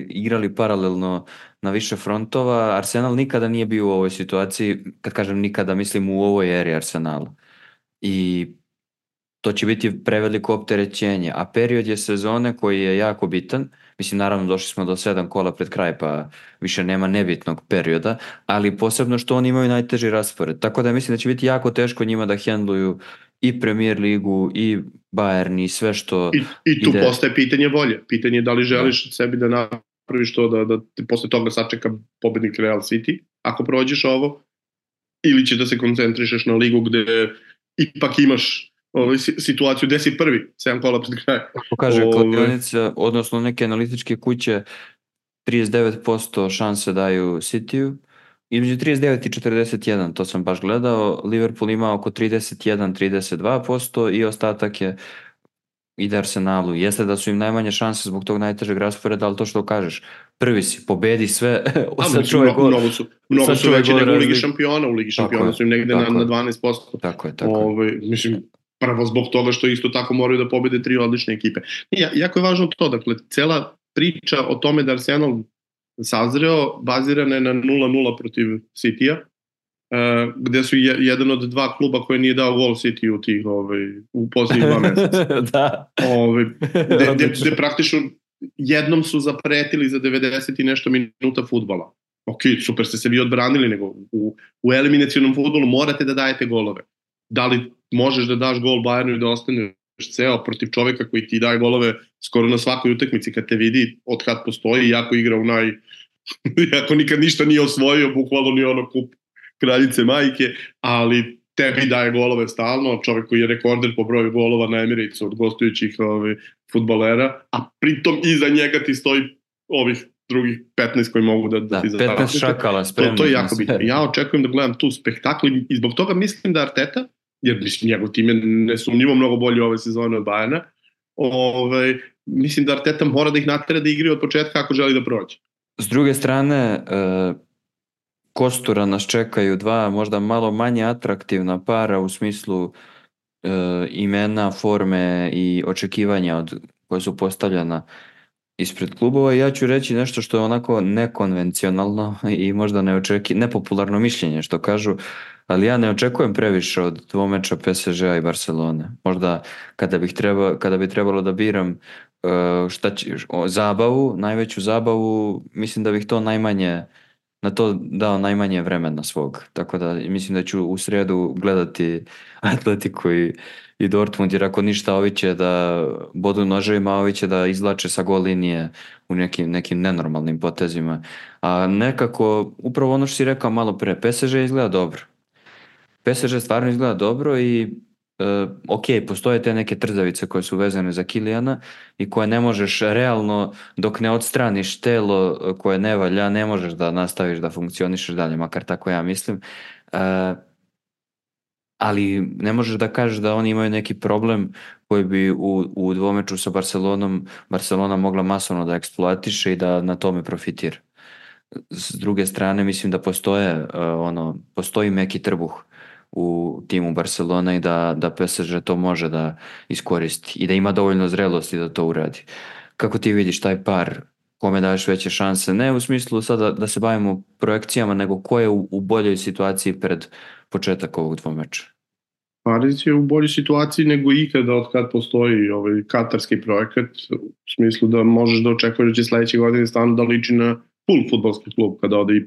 igrali paralelno na više frontova. Arsenal nikada nije bio u ovoj situaciji, kad kažem nikada, mislim u ovoj eri Arsenala. I to će biti preveliko opterećenje, a period je sezone koji je jako bitan. Mislim, naravno, došli smo do 7 kola pred kraj, pa više nema nebitnog perioda, ali posebno što oni imaju najteži raspored. Tako da mislim da će biti jako teško njima da hendluju i Premier ligu, i Bayern, i sve što I tu postaje pitanje volje. Pitanje je da li želiš sebi da napraviš to, da te posle toga sačeka pobednik Real City, ako prođeš ovo, ili će da se koncentrišeš na ligu gde ipak imaš situaciju gde si prvi, 7 kola pred kraj. Kako kaže kladionica, odnosno neke analitičke kuće, 39% šanse daju City-u, između 39 i 41, to sam baš gledao. Liverpool ima oko 31-32% i ostatak ide Arsenalu. Jeste da su im najmanje šanse zbog tog najtežeg rasporeda, ali to što kažeš, prvi si, pobedi sve, sačuvaj gol. Mnogo su veći nego u Ligi šampiona. U Ligi šampiona su im negde na 12%. Tako je. Mislim, prvo zbog toga što isto tako moraju da pobede 3 odlične ekipe. Jako je važno to, dakle, cela priča o tome da Arsenal sazreo, bazirana je na 0-0 protiv City-a, gde su jedan od 2 kluba koje nije dao gol City u posljednjih 2 meseca. Da. Gde praktično jednom su zapretili za 90 i nešto minuta fudbala. Ok, super ste se vi odbranili, nego u eliminacionom fudbalu morate da dajete golove. Da li možeš da daš gol Bayernu i da ostaneš ceo protiv čoveka koji ti daje golove skoro na svakoj utakmici kad te vidi od kad postoji, jako igra jako nikad ništa nije osvojio, bukvalno ni ono kup kraljice majke, ali tebi daje golove stalno, čovek koji je rekorder po broju golova na Emiratesu od gostujućih fudbalera, a pritom iza njega ti stoji ovih drugih 15 koji mogu da ti završi. 15 šakala spremno. To je jako bitno. Ja očekujem da gledam tu spektakl i zbog toga mislim da Arteta, jer mislim njegov tim je nesumnjivo mnogo bolji ove sezone od Bayerna, mislim da Arteta mora da ih natera da igraju od početka ako želi da prođe. S druge strane, kostura nas čekaju 2 možda malo manje atraktivna para u smislu imena, forme i očekivanja koje su postavljena ispred klubova. Ja ću reći nešto što je onako nekonvencionalno i možda nepopularno mišljenje što kažu, ali ja ne očekujem previše od dvomeča PSG-a i Barcelone. Možda kada bi trebalo da biram zabavu, najveću zabavu, mislim da bih na to dao najmanje vremena svog. Tako da mislim da ću u srijedu gledati Atletico i Dortmund, jer ako ništa, ovi će da bodu noževima, ovi će da izvlače sa gol linije u nekim nenormalnim potezima. A nekako, upravo ono što si rekao malo pre, PSG izgleda dobro. PSG stvarno izgleda dobro i ok, postoje te neke trzavice koje su vezane za Kilijana i koje ne možeš realno, dok ne odstraniš telo koje ne valja, ne možeš da nastaviš da funkcionišeš dalje, makar tako ja mislim. Ali ne možeš da kažeš da oni imaju neki problem koji bi u dvomeču sa Barcelonom Barcelona mogla masovno da eksploatiše i da na tome profitira. S druge strane, mislim da postoji meki trbuh u timu Barcelona i da PSG to može da iskoristi i da ima dovoljno zrelosti da to uradi. Kako ti vidiš taj par, kome daješ veće šanse? Ne u smislu sada da se bavimo projekcijama, nego ko je u boljoj situaciji pred početak ovog dvomeča? Paris je u boljoj situaciji nego ikada od kad postoji ovaj katarski projekat, u smislu da možeš da očekuješ da će sledeće godine stvarno da liči na full fudbalski klub kada ode i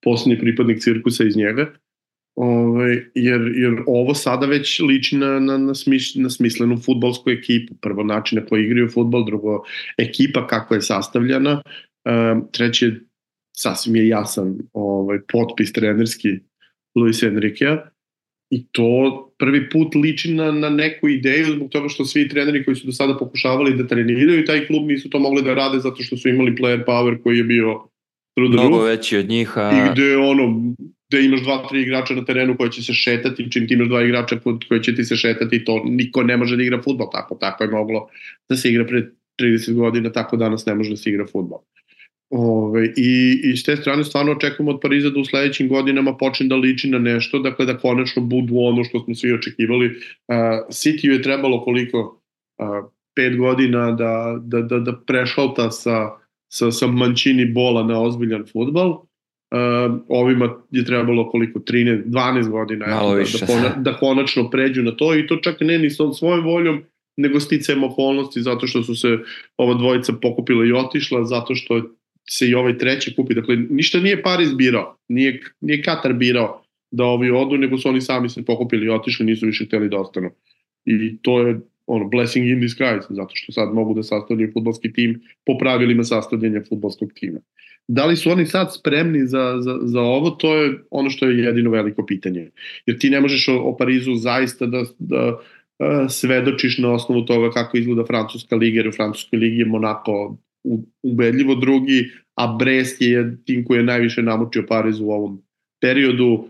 posljednji pripadnik cirkusa iz njega. jer ovo sada već liči na smislenu fudbalsku ekipu. Prvo, način na koji igraju fudbal, drugo, ekipa kako je sastavljena, treće, sasvim je jasan potpis trenerski Luis Enriquea, i to prvi put liči na neku ideju, zbog toga što svi treneri koji su do sada pokušavali da treniraju taj klub nisu to mogli da rade zato što su imali player power koji je bio mnogo veći od njih. I gde imaš 2-3 igrača na terenu koji će se šetati, čim ti imaš 2 igrača koji će ti se šetati, to niko ne može da igra fudbal, tako je moglo da se igra pre 30 godina, tako danas ne može da se igra fudbal. I s te strane stvarno očekujemo od Pariza da u sledećim godinama počne da liči na nešto, dakle da konačno budu ono što smo svi očekivali. City-u je trebalo koliko? 5 godina da prešalta sa Mancini bola na ozbiljan fudbal. Ovima je trebalo koliko? 12 godina da konačno pređu na to, i to čak ne ni sa svojom voljom, nego sticajem okolnosti, zato što su se ova dvojica pokupila i otišla, zato što se i ovaj treći kupi. Dakle, ništa nije Paris birao, nije Katar birao da ovi odu, nego su oni sami se pokupili i otišli, nisu više hteli da ostanu. I to je blessing in disguise, zato što sad mogu da sastavljaju fudbalski tim po pravilima sastavljanja fudbalskog tima. Da li su oni sad spremni za ovo, to je ono što je jedino veliko pitanje. Jer ti ne možeš o Parizu zaista da svedočiš na osnovu toga kako izgleda francuska liga, jer u francuskoj ligi je Monako ubedljivo drugi, a Brest je tim koji je najviše namučio Pariz u ovom periodu.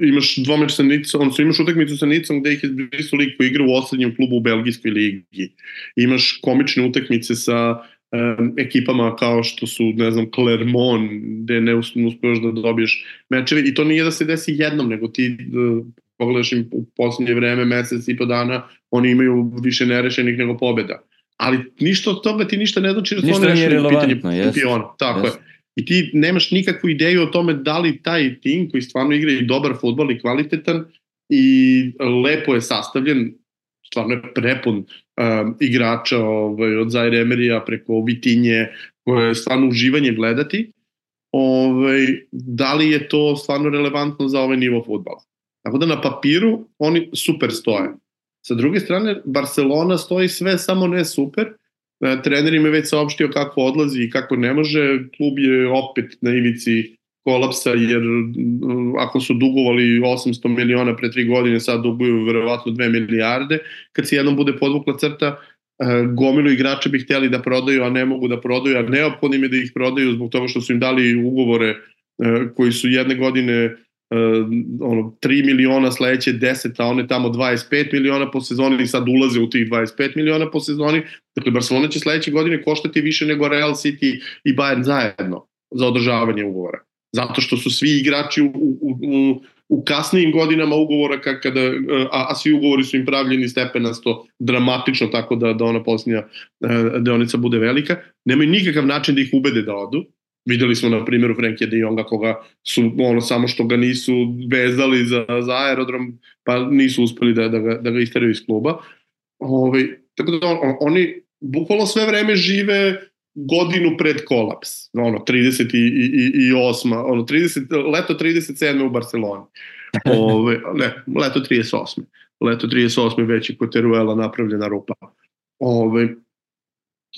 Imaš dvomeč sa Nicom, imaš utakmicu sa Nicom gde ih je zbrisao lik koji igra u osrednjem klubu u belgijskoj ligi. Imaš komične utakmice sa ekipama kao što su, ne znam, Clermont, gde ne uspeš da dobiješ mečeve, i to nije da se desi jednom, nego ti pogledaš im u poslednje vreme, mesec i po dana, oni imaju više nerešenih nego pobjeda. Ali ništa od toga ti ništa ne znači da su oni rešili pitanje šampiona. Tako je. I ti nemaš nikakvu ideju o tome da li taj tim koji stvarno igra i dobar fudbal i kvalitetan i lepo je sastavljen, stvarno je prepun igrača od Zaire Emerija preko Vitinje, koje je stvarno uživanje gledati, da li je to stvarno relevantno za ovaj nivo fudbala. Tako da na papiru oni super stoje. Sa druge strane, Barcelona stoji sve, samo ne super. Trener im je već saopštio kako odlazi i kako ne može. Klub je opet na ivici kolapsa, jer ako su dugovali 800 miliona pre 3 godine, sad duguju verovatno 2 milijarde. Kad se jednom bude podvukla crta, gomilu igrača bi htjeli da prodaju, a ne mogu da prodaju, a neophodno im je da ih prodaju zbog toga što su im dali ugovore koji su jedne godine 3 miliona, sledeće 10, a one tamo 25 miliona po sezoni i sad ulaze u tih 25 miliona po sezoni. Dakle, Barcelona će sledeće godine koštati više nego Real City i Bayern zajedno za održavanje ugovora. Zato što su svi igrači u kasnijim godinama ugovora, a svi ugovori su im pravljeni stepenasto, dramatično, tako da ona posljednja deonica bude velika. Nemaju nikakav način da ih ubede da odu. Videli smo na primjeru Frenkie de Jonga, koga su samo što ga nisu vezali za aerodrom, pa nisu uspeli da ga isteraju iz kluba. Tako da oni bukvalno sve vreme žive godinu pred kolaps. 38. Leto 37. u Barceloni. Leto 38. Leto 38. već je kod Teruela napravljena rupa.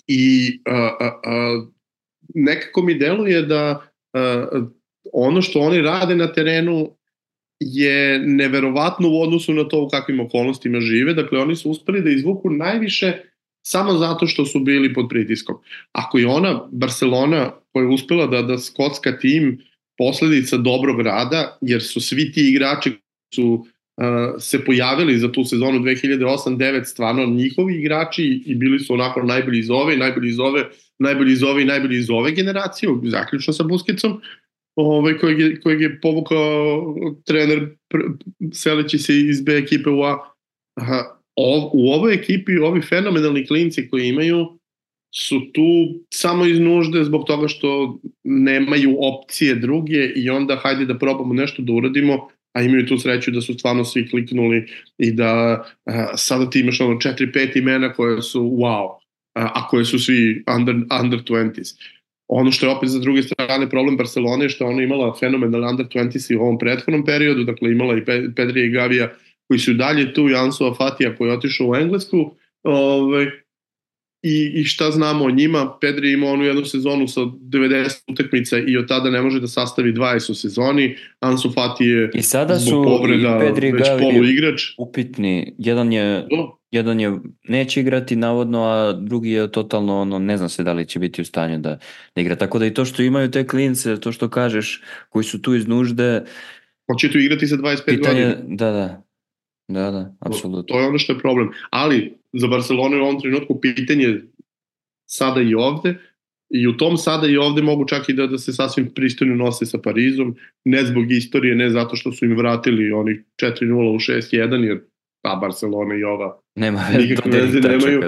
I nekako mi deluje da ono što oni rade na terenu je neverovatno u odnosu na to u kakvim okolnostima žive. Dakle, oni su uspeli da izvuku najviše samo zato što su bili pod pritiskom. Ako je ona Barcelona koja je uspela da skocka tim posledica dobrog rada, jer su svi ti igrači su se pojavili za tu sezonu 2008-2009 stvarno njihovi igrači i bili su onako najbolji iz ove, najbolji iz ove generacije, zaključno sa Busquetsom, kojeg je povukao trener seleći se iz B ekipe u A. U ovoj ekipi, ovi fenomenalni klinci koji imaju su tu samo iz nužde zbog toga što nemaju opcije druge i onda hajde da probamo nešto da uradimo, a imaju tu sreću da su stvarno svi kliknuli i da sada ti imaš 4-5 imena koje su wow, a koje su svi under 20s. Ono što je opet za druge strane problem Barcelone je što ona imala fenomenal under 20 u ovom prethodnom periodu, dakle imala i Pedrija i Gavija koji su dalje tu, i Ansu Fatija koji je otišao u Englesku, i šta znamo o njima. Pedri ima onu jednu sezonu sa 90 utakmica i od tada ne može da sastavi 20 u sezoni. Ansu Fati je i sada zbog povreda već poluigrač. Upitni. Jedan je neće igrati navodno, a drugi je totalno ne zna se da li će biti u stanju da igra. Tako da i to što imaju te klince, to što kažeš, koji su tu iz nužde. Hoće tu igrati sa 25 godina. Da, apsolutno. To je ono što je problem. Ali za Barcelonu je u ovom trenutku pitanje sada i ovde, i u tom sada i ovde mogu čak i da se sasvim pristojno nose sa Parizom, ne zbog istorije, ne zato što su im vratili onih 4-0 u 6-1, jer ta Barcelona i ova nikakve veze nemaju,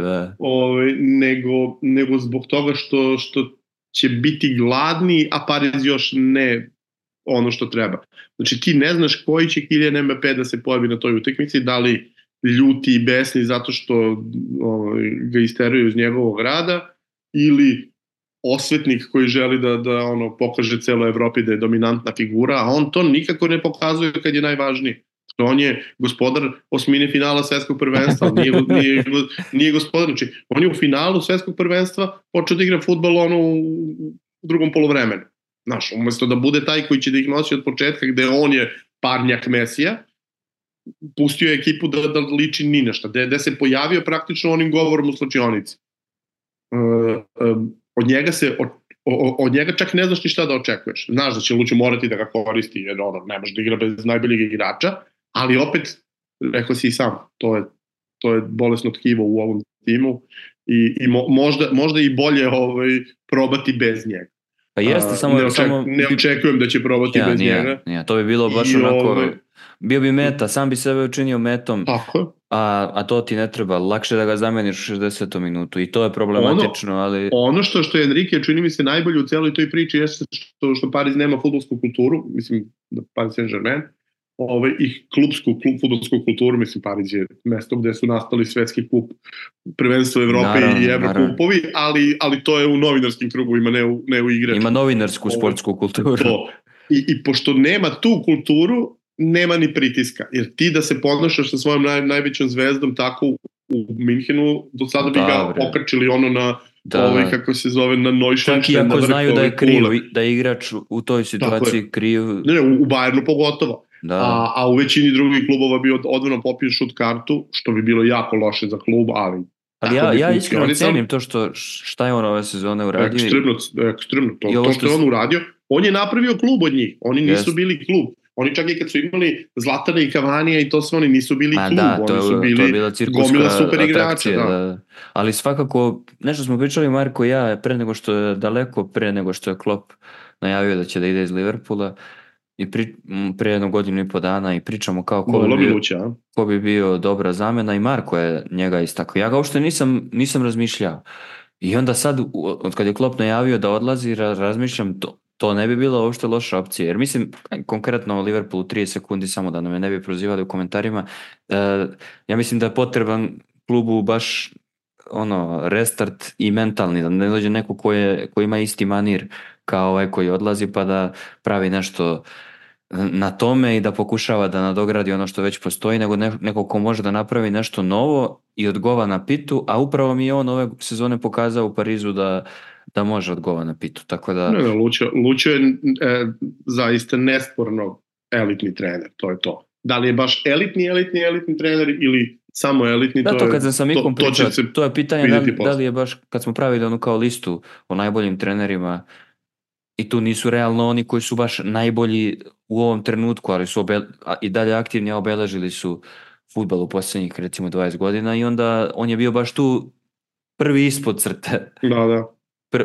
nego zbog toga što će biti gladni, a Pariz još ne ono što treba. Znači ti ne znaš koji će Kylian Mbappé da se pojavi na toj utakmici, da li ljuti i besni zato što ga isteruju iz njegovog rada, ili osvetnik koji želi da pokaže celoj Evropi da je dominantna figura, a on to nikako ne pokazuje kad je najvažniji. On je gospodar osmine finala svetskog prvenstva, nije gospodar. Znači, on je u finalu svetskog prvenstva počeo da igra fudbal u drugom polovremenu. Znaš, umesto da bude taj koji će da ih nosi od početka, gde on je parnjak Mesija, pustio je ekipu da liči ni nešto, gde se pojavio praktično onim govorom u slačionici. Od njega čak ne znaš ni šta da očekuješ. Znaš da će Lučo morati da ga koristi, jer ne može da igra bez najboljeg igrača, ali opet, rekao si i sam, to je bolesno tkivo u ovom timu i možda i bolje probati bez njega. Pa jeste, ne očekujem da će probati bez njega. To bi bilo baš onako, bio bi meta, sam bi sebe učinio metom, a to ti ne treba, lakše da ga zameniš u 60. minutu i to je problematično, ali... Ono što je Enrique čini mi se najbolje u celoj toj priči jeste što Pariz nema fudbalsku kulturu, mislim da Paris Saint-Germain, i klubsku fudbalsku kulturu, mislim Pariz je mesto gde su nastali svetski kup, prvenstvo Evrope i Evrokupovi, ali to je u novinarskim krugovima, ne u igračima. Ima novinarsku sportsku kulturu. I pošto nema tu kulturu, nema ni pritiska, jer ti da se ponašaš sa svojom najvećom zvezdom tako u Minhenu, do sada bi ga okačili na kako se zove, na Neuschwanstein. Čak i ako znaju da je kriv, da je igrač u toj situaciji kriv. Ne, u Bayernu pogotovo. A u većini drugih klubova bi odvano popio šut kartu, što bi bilo jako loše za klub, ali ja iskreno cenim to šta je on ove sezone uradio. Ekstremno. To što je on uradio, on je napravio klub od njih, oni nisu bili klub. Oni čak i kad su imali Zlatana i Cavanija i to sve, oni nisu bili klub, oni su bili gomila super igrača. Ali svakako, nešto smo pričali Marko i ja, daleko pre nego što je Klopp najavio da će da ide iz Liverpoola, i pre 1 godinu i po dana, i pričamo kao ko bi bio dobra zamena, i Marko je njega istakao. Ja ga uopšte nisam razmišljao. I onda sad, od kad je Klopp najavio da odlazi, razmišljam, to ne bi bila uopšte loša opcija. Jer mislim, konkretno o Liverpoolu 30 sekundi, samo da nam je ne bi prozivali u komentarima, ja mislim da je potreban klubu baš restart i mentalni, da ne dođe neko ko ima isti manir kao ovaj koji odlazi, pa da pravi nešto na tome i da pokušava da nadogradi ono što već postoji, nego neko ko može da napravi nešto novo i odgova na pitu, a upravo mi je on ove sezone pokazao u Parizu da može odgova na pitu, tako da... Lučo je zaista nesporno elitni trener, to je to. Da li je baš elitni trener ili samo elitni, to kad sam sa Mikom pričao, to je pitanje da li je baš, kad smo pravili onu kao listu o najboljim trenerima, i tu nisu realno oni koji su baš najbolji u ovom trenutku, ali su i dalje aktivni, a obeležili su fudbal u posljednjih recimo 20 godina, i onda on je bio baš tu prvi ispod crte. Da.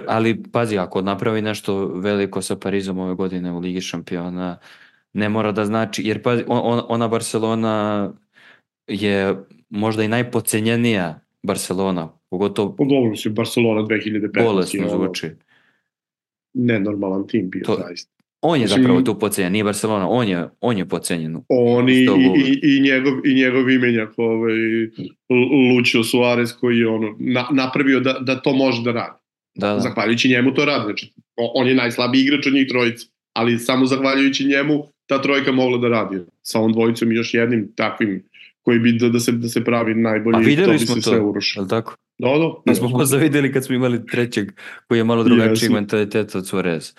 Ali pazi, ako napravi nešto veliko sa Parizom ove godine u Ligi šampiona, ne mora da znači, jer pazi, ona Barcelona je možda i najpocenjenija Barcelona, pogotovo... Dobro si Barcelona 2015. Bolesno zvuči. Nenormalan tim bio, zaista. On je zapravo tu pocenjen, nije Barcelona, on je pocenjen. On i njegov imenjak, Lucio Suarez, koji je napravio da to može da radi. Zahvaljujući njemu to radi. Znači, on je najslabiji igrač od njih trojica, ali samo zahvaljujući njemu ta trojka mogla da radi. Sa ovom dvojicom i još jednim takvim koji bi da se pravi najbolji, to bi se sve urušilo. Tako? Da. Smo možda vidjeli kad smo imali trećeg koji je malo drugačiji mentalitet od Suarez.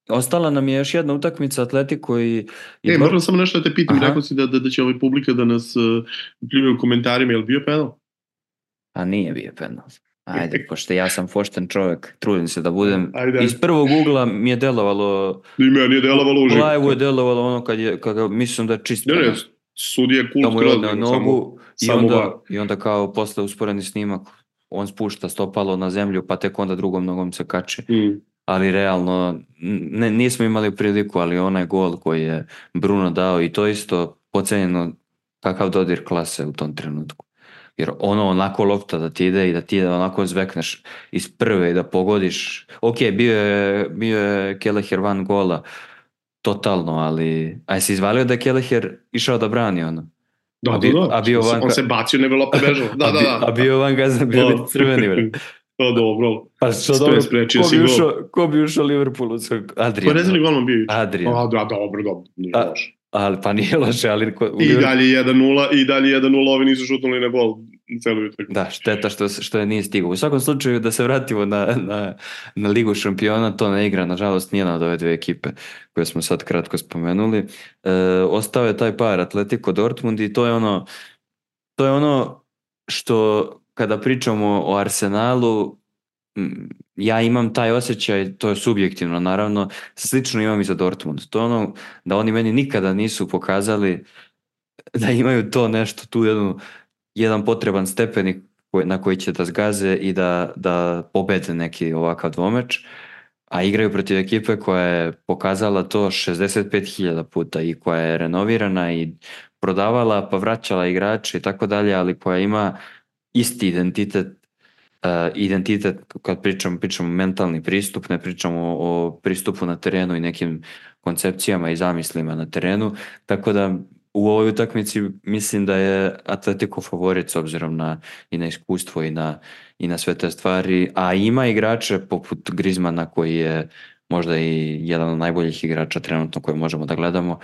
Ostala nam je još jedna utakmica Atletico i... Moram samo nešto da te pitam, rekao si da će ovaj publika da nas pljuje u komentarima, je li bio penal? A nije bio penal. Ajde, pošto ja sam pošten čovjek, trudim se da budem. Iz prvog ugla mi je delovalo... Meni je delovalo uživo. U live-u je delovalo ono kad mislim da je čisto. Ne, sudija je cool skroz. Nogu i onda kao posle usporeni snimak on spušta stopalo na zemlju pa tek onda drugom nogom se kači. Ali realno nismo imali priliku, ali onaj gol koji je Bruno dao i to isto pocenjeno kakav dodir klase u tom trenutku. Jer onako lopta da ti ide i da ti onako zvekneš iz prve i da pogodiš. Ok, bio je Kelleher van gola totalno, ali jesi izvalio da je Kelleher išao da brani ono? Da. On se bacio, nego lopta bežala. Da. A bio van gazda, bio biti crveni. To dobro. Pa što dobro, ko bi ušao Liverpoolu? Adrian. Pa ne znam li golman bio? Adrian. Dobro, nije loše. Ali pa nije loše, ali... I dalje 1-0, ovi nisu šutnuli na gol celu utakmicu. Da, šteta što je nije stigao. U svakom slučaju, da se vratimo na Ligu šampiona, to ne igra, nažalost, nijedna od ove dve ekipe koje smo sad kratko spomenuli. Ostao je taj par Atletico Dortmund i to je ono što kada pričamo o Arsenalu, ja imam taj osjećaj, to je subjektivno naravno, slično imam i za Dortmund. To je ono da oni meni nikada nisu pokazali da imaju to nešto, tu jedan potreban stepenik na koji će da zgaze i da pobede neki ovakav dvomeč, a igraju protiv ekipe koja je pokazala to 65.000 puta i koja je renovirana i prodavala pa vraćala igrače i tako dalje, ali koja ima isti identitet kad pričamo mentalni pristup, ne pričamo o pristupu na terenu i nekim koncepcijama i zamislima na terenu, tako da u ovoj utakmici mislim da je Atletico favorit s obzirom i na iskustvo i na sve te stvari, a ima igrače poput Griezmana koji je možda i jedan od najboljih igrača trenutno koje možemo da gledamo,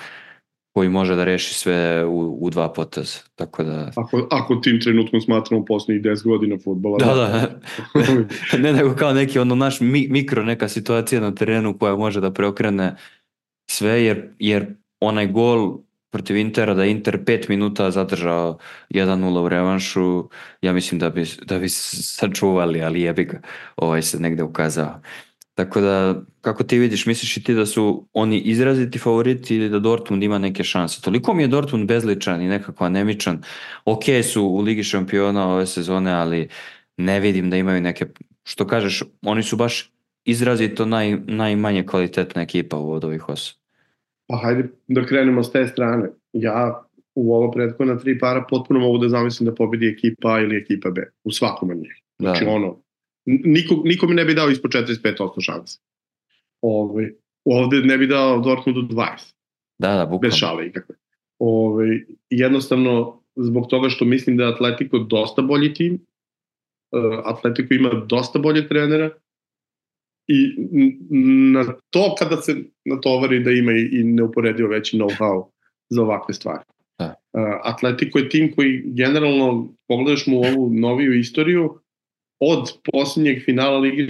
koji može da reši sve u dva poteza. Tako da... Ako tim trenutkom smatramo posljednjih 10 godina fudbala. Da. Ne nego kao neki naš mikro neka situacija na terenu koja može da preokrene sve, jer onaj gol protiv Intera, da Inter 5 minuta zadržao 1-0 u revanšu, ja mislim da bi sačuvali, ali jebi ga, se negde ukazao. Tako da, kako ti vidiš, misliš i ti da su oni izraziti favoriti ili da Dortmund ima neke šanse? Toliko mi je Dortmund bezličan i nekako anemičan. Ok su u Ligi šampiona ove sezone, ali ne vidim da imaju neke, što kažeš, oni su baš izrazito najmanje kvalitetna ekipa od ovih osam. Pa hajde da krenemo s te strane. Ja u ovo prethodna 3 para potpuno mogu da zamislim da pobedi ekipa A ili ekipa B. U svakom od njih. Znači niko mi ne bi dao ispod 45% šanse. Ovde ne bi dao Dortmundu 20. Da, bukvalno. Bez šale ikakve. Jednostavno, zbog toga što mislim da je Atletico dosta bolji tim, Atletico ima dosta bolje trenera i na to kada se natovari da ima i neuporedivo veći know-how za ovakve stvari. Atletico je tim koji generalno, pogledaš mu ovu noviju istoriju, od posljednjeg finala Ligi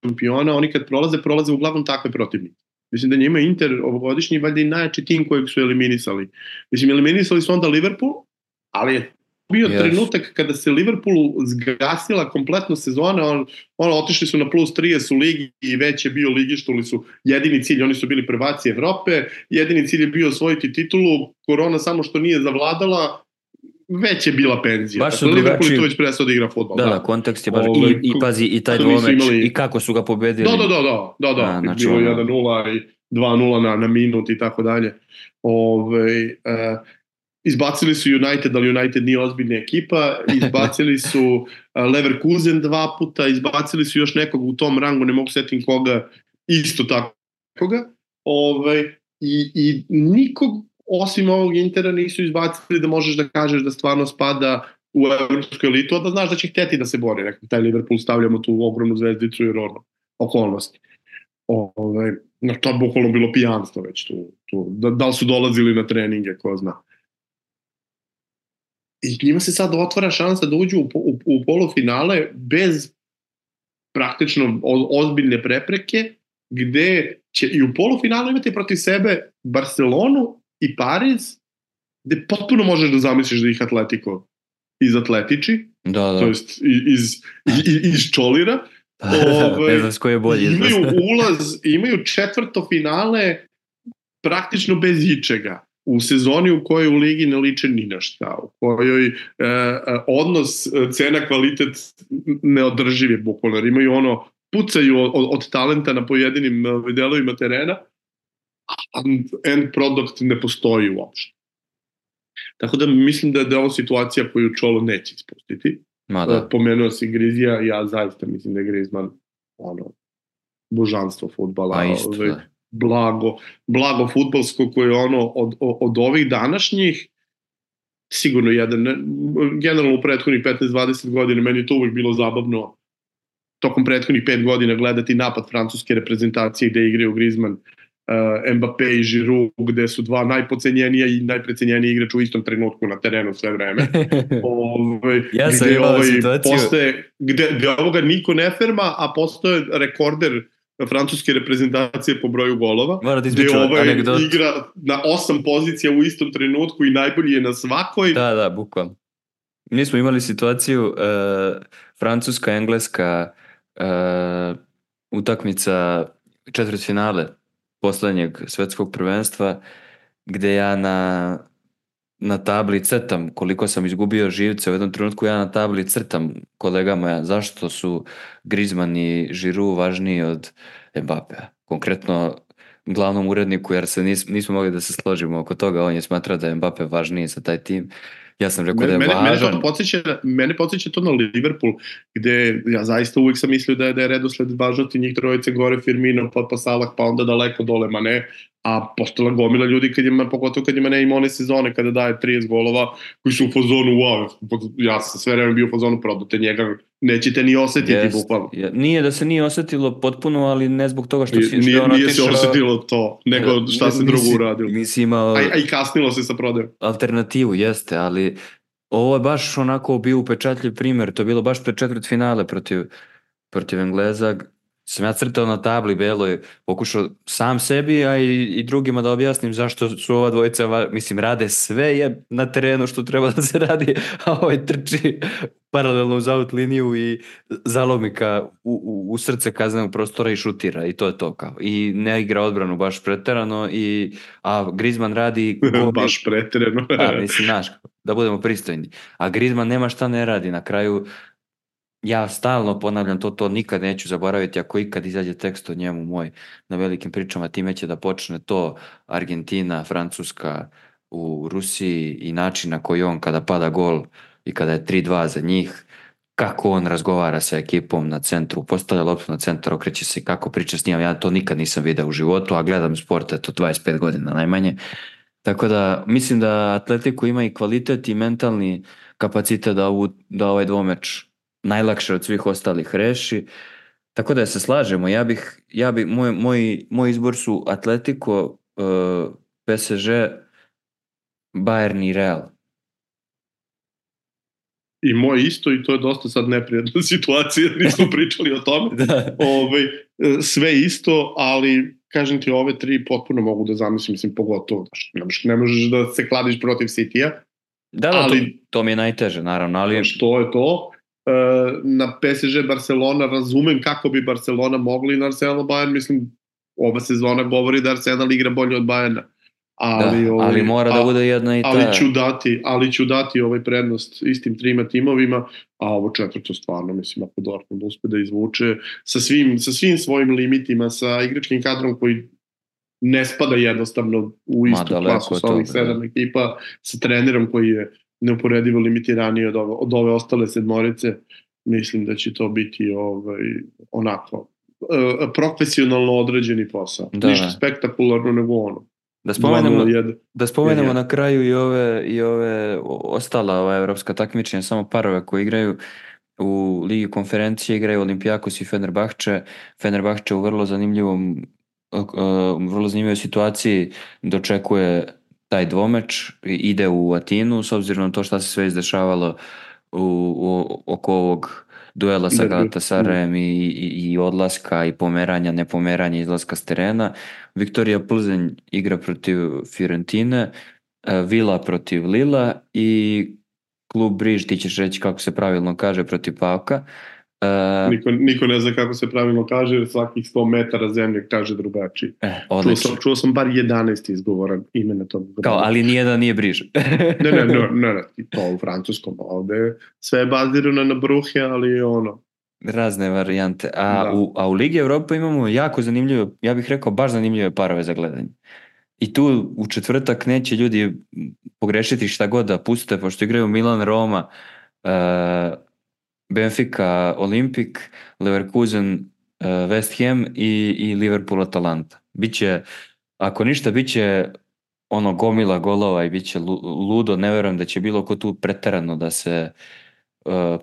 šampiona, oni kad prolaze uglavnom takve protivnike. Mislim da njima Inter ovogodišnji valjda i najjači tim kojeg su eliminisali. Mislim, eliminisali su onda Liverpool, ali je bio trenutak kada se Liverpoolu zgasila kompletno sezona, otišli su na plus 30 u ligi i već je bio ligišta, ali su jedini cilj, oni su bili prvaci Evrope, jedini cilj je bio osvojiti titulu, korona samo što nije zavladala, već je bila penzija. Baš su Liverpool je tu već prestao da igra fudbal. Da, kontekst je baš i pazi i taj dvomeč i kako su ga pobedili. Da. Znači bilo 1-0 i 2-0 na minut i tako dalje. Izbacili su United, ali United nije ozbiljna ekipa, izbacili su Leverkusen 2 puta, izbacili su još nekog u tom rangu, ne mogu setim koga, isto takoga. I nikog osim ovog Intera nisu izbacili da možeš da kažeš da stvarno spada u evropsku elitu, da znaš da će hteti da se bori. Rekao, taj Liverpool stavljamo tu ogromnu zvezdicu i okolnosti. No, to je bukvalno bilo pijanstvo već tu. Da li su dolazili na treninge, ko zna. I njima se sad otvara šansa da uđu u polufinale bez praktično ozbiljne prepreke, gde će i u polufinalu imati protiv sebe Barcelonu i Pariz, gde potpuno možeš da zamisliš da ih Atletico izatletiči, to jest iz Čolira. Ne znam s koje je bolje. Imaju četvrto finale praktično bez ičega. U sezoni u kojoj u ligi ne liče ni na šta, u kojoj odnos cena-kvalitet neodrživ je bukvalno, jer imaju pucaju od talenta na pojedinim delovima terena, a end product ne postoji uopšte. Tako da mislim da je ovo situacija koju Čolo neće ispustiti. Pomenuo si Grizija, ja zaista mislim da je Griezmann božanstvo fudbala. Blago fudbalsko koje od ovih današnjih sigurno jedan, generalno u prethodnih 15-20 godina meni je to uvijek bilo zabavno tokom prethodnih 5 godina gledati napad francuske reprezentacije gde igraju Griezmann, Mbappé i Giroud, gde su dva najpocenjenija i najprecenjeniji igrač u istom trenutku na terenu sve vreme. Ja sam imao situaciju gde ovoga niko ne ferma, a postoje rekorder francuske reprezentacije po broju golova, gde igra na 8 pozicija u istom trenutku i najbolji je na svakoj. Da, bukvalno. Mi smo imali situaciju Francuska-Engleska utakmica četvrtfinale poslednjeg svetskog prvenstva, gde ja na tabli crtam koliko sam izgubio živce. U jednom trenutku ja na tabli crtam kolegama zašto su Griezmann i Giroud važniji od Mbappéa. Konkretno glavnom uredniku, jer se nismo mogli da se složimo oko toga, on je smatrao da je Mbappé važniji za taj tim. Ja sam rekao da je važan. Mene podsjeća to na Liverpool, gde ja zaista uvijek sam mislio da je redosled važnosti njih trojice gore, Firmino, pa Salah, pa onda daleko dole Mane, a postala gomila ljudi pogotovo kad ima ne ima one sezone kada daje 30 golova koji su u fazonu wow, ja sam sve vreme bio u fazonu prodate njega, nećete ni osetiti bukvalno. Nije da se nije osetilo potpuno, ali ne zbog toga što nije se osetilo to, nego šta se drugo uradilo. A i kasnilo se sa prodajom. Alternativu jeste, ali ovo je baš onako bio upečatljiv primjer, to je bilo baš pred četvrtfinale protiv Engleza. Sam ja crtao na tabli beloj, pokušao sam sebi, a i drugima da objasnim zašto su ova dvojica, mislim, rade sve je na terenu što treba da se radi, a ovaj trči paralelno uz out liniju i zalomi u srce kaznenog prostora i šutira i to je to kao. I ne igra odbranu baš preterano, a Griezmann radi... baš preterano. Mislim, znaš, da budemo pristojni. A Griezmann nema šta ne radi, na kraju... Ja stalno ponavljam to nikad neću zaboraviti, ako ikad izađe tekst o njemu moj na velikim pričama, time će da počne to Argentina, Francuska u Rusiji i način na koji on kada pada gol i kada je 3-2 za njih, kako on razgovara sa ekipom na centru, postavlja loptu na centar, okreće se, kako priča s njim, ja to nikad nisam video u životu, a gledam sport, eto 25 godina najmanje. Tako da mislim da Atletico ima i kvalitet i mentalni kapacitet da ovaj dvomeč najlakše od svih ostalih reši. Tako da se slažemo, moj izbor su Atletico, PSG, Bayern i Real. I moj isto, i to je dosta sad neprijatna situacija, nismo pričali o tome. Sve isto, ali kažem ti, ove tri potpuno mogu da zamislim, mislim, pogotovo, ne možeš da se kladiš protiv City-a. Da, to mi je najteže, naravno. Ali... Što je to? Na PSG Barcelona razumem kako bi Barcelona mogli na Arsenal Bayern, mislim, ova sezona govori da Arsenal igra bolje od Bayerna. Ali mora da bude jedna i ta. Ali ću dati ovaj prednost istim trima timovima, a ovo četvrto stvarno, mislim, ako Dortmund uspe da izvuče sa svim svojim limitima, sa igračkim kadrom koji ne spada jednostavno u istu klasu sa ovih 7 ekipa, sa trenerom koji je neuporedivo limitiraniji od ove ostale sedmorice, mislim da će to biti onako profesionalno određeni posao. Ništa spektakularno nego ono. Da spomenemo na kraju i ove ostala evropska takmičenja, samo parove koji igraju u Ligi konferencije, igraju Olympiakos i Fenerbahče. Fenerbahče u vrlo zanimljivoj situaciji dočekuje taj dvomeč, ide u Atinu, s obzirom na to šta se sve izdešavalo oko ovog duela sa Galatasarajem i odlaska i pomeranja, nepomeranja izlaska s terena. Viktorija Plzeň igra protiv Fiorentine, Vila protiv Lila i klub Briž, ti ćeš reći kako se pravilno kaže, protiv Pauka. Niko ne zna kako se pravilno kaže, jer svakih 100 metara zemlje kaže drugačiji. Čuo sam bar 11 izgovoran imena tog grada. Kao, ali nijedan nije Briž. ne, to u francuskom ovde. Sve je bazirano na Bruhe, ali ono... Razne varijante. A u Ligi Evrope imamo jako zanimljive, ja bih rekao baš zanimljive parove za gledanje. I tu u četvrtak neće ljudi pogrešiti šta god da puste, pošto igraju Milan, Roma, Benfica, Olimpik, Leverkusen, West Ham i Liverpool, Atalanta. Biće, ako ništa, biće ono gomila golova i biće ludo. Ne verujem da će bilo ko tu preterano da se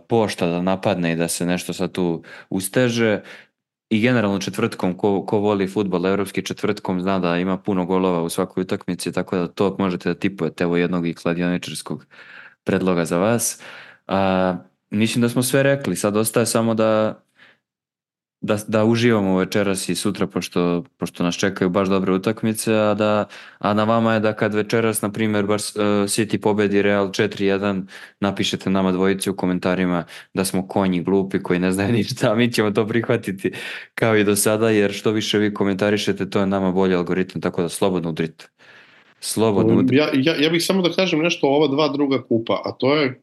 pošta, da napadne i da se nešto sad tu usteže. I generalno četvrtkom, ko voli fudbal, evropski četvrtkom zna da ima puno golova u svakoj utakmici, tako da to možete da tipujete. Evo jednog i kladioničarskog predloga za vas. Mislim da smo sve rekli, sad ostaje samo da uživamo večeras i sutra, pošto nas čekaju baš dobre utakmice, a na vama je da kad večeras, na primjer, City pobedi Real 4-1, napišete nama dvojici u komentarima da smo konji glupi koji ne znaju ništa, a mi ćemo to prihvatiti kao i do sada, jer što više vi komentarišete, to je nama bolji algoritam, tako da slobodno udrite. Ja bih samo da kažem nešto o ova dva druga kupa, a to je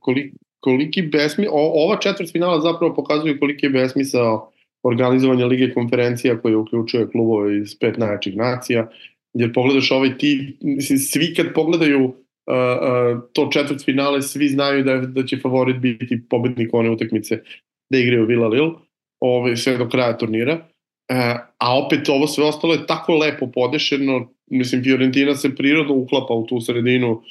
koliki ova četvrtfinala zapravo pokazuju koliki je besmisao organizovanja Lige konferencija koje uključuje klubove iz 5 najjačih nacija, jer pogledaš svi kad pogledaju to četvrtfinale, svi znaju da će favorit biti pobednik one utakmice da igraju Vila Lille, sve do kraja turnira, a opet ovo sve ostalo je tako lepo podešeno, mislim Fiorentina se prirodno uklapa u tu sredinu,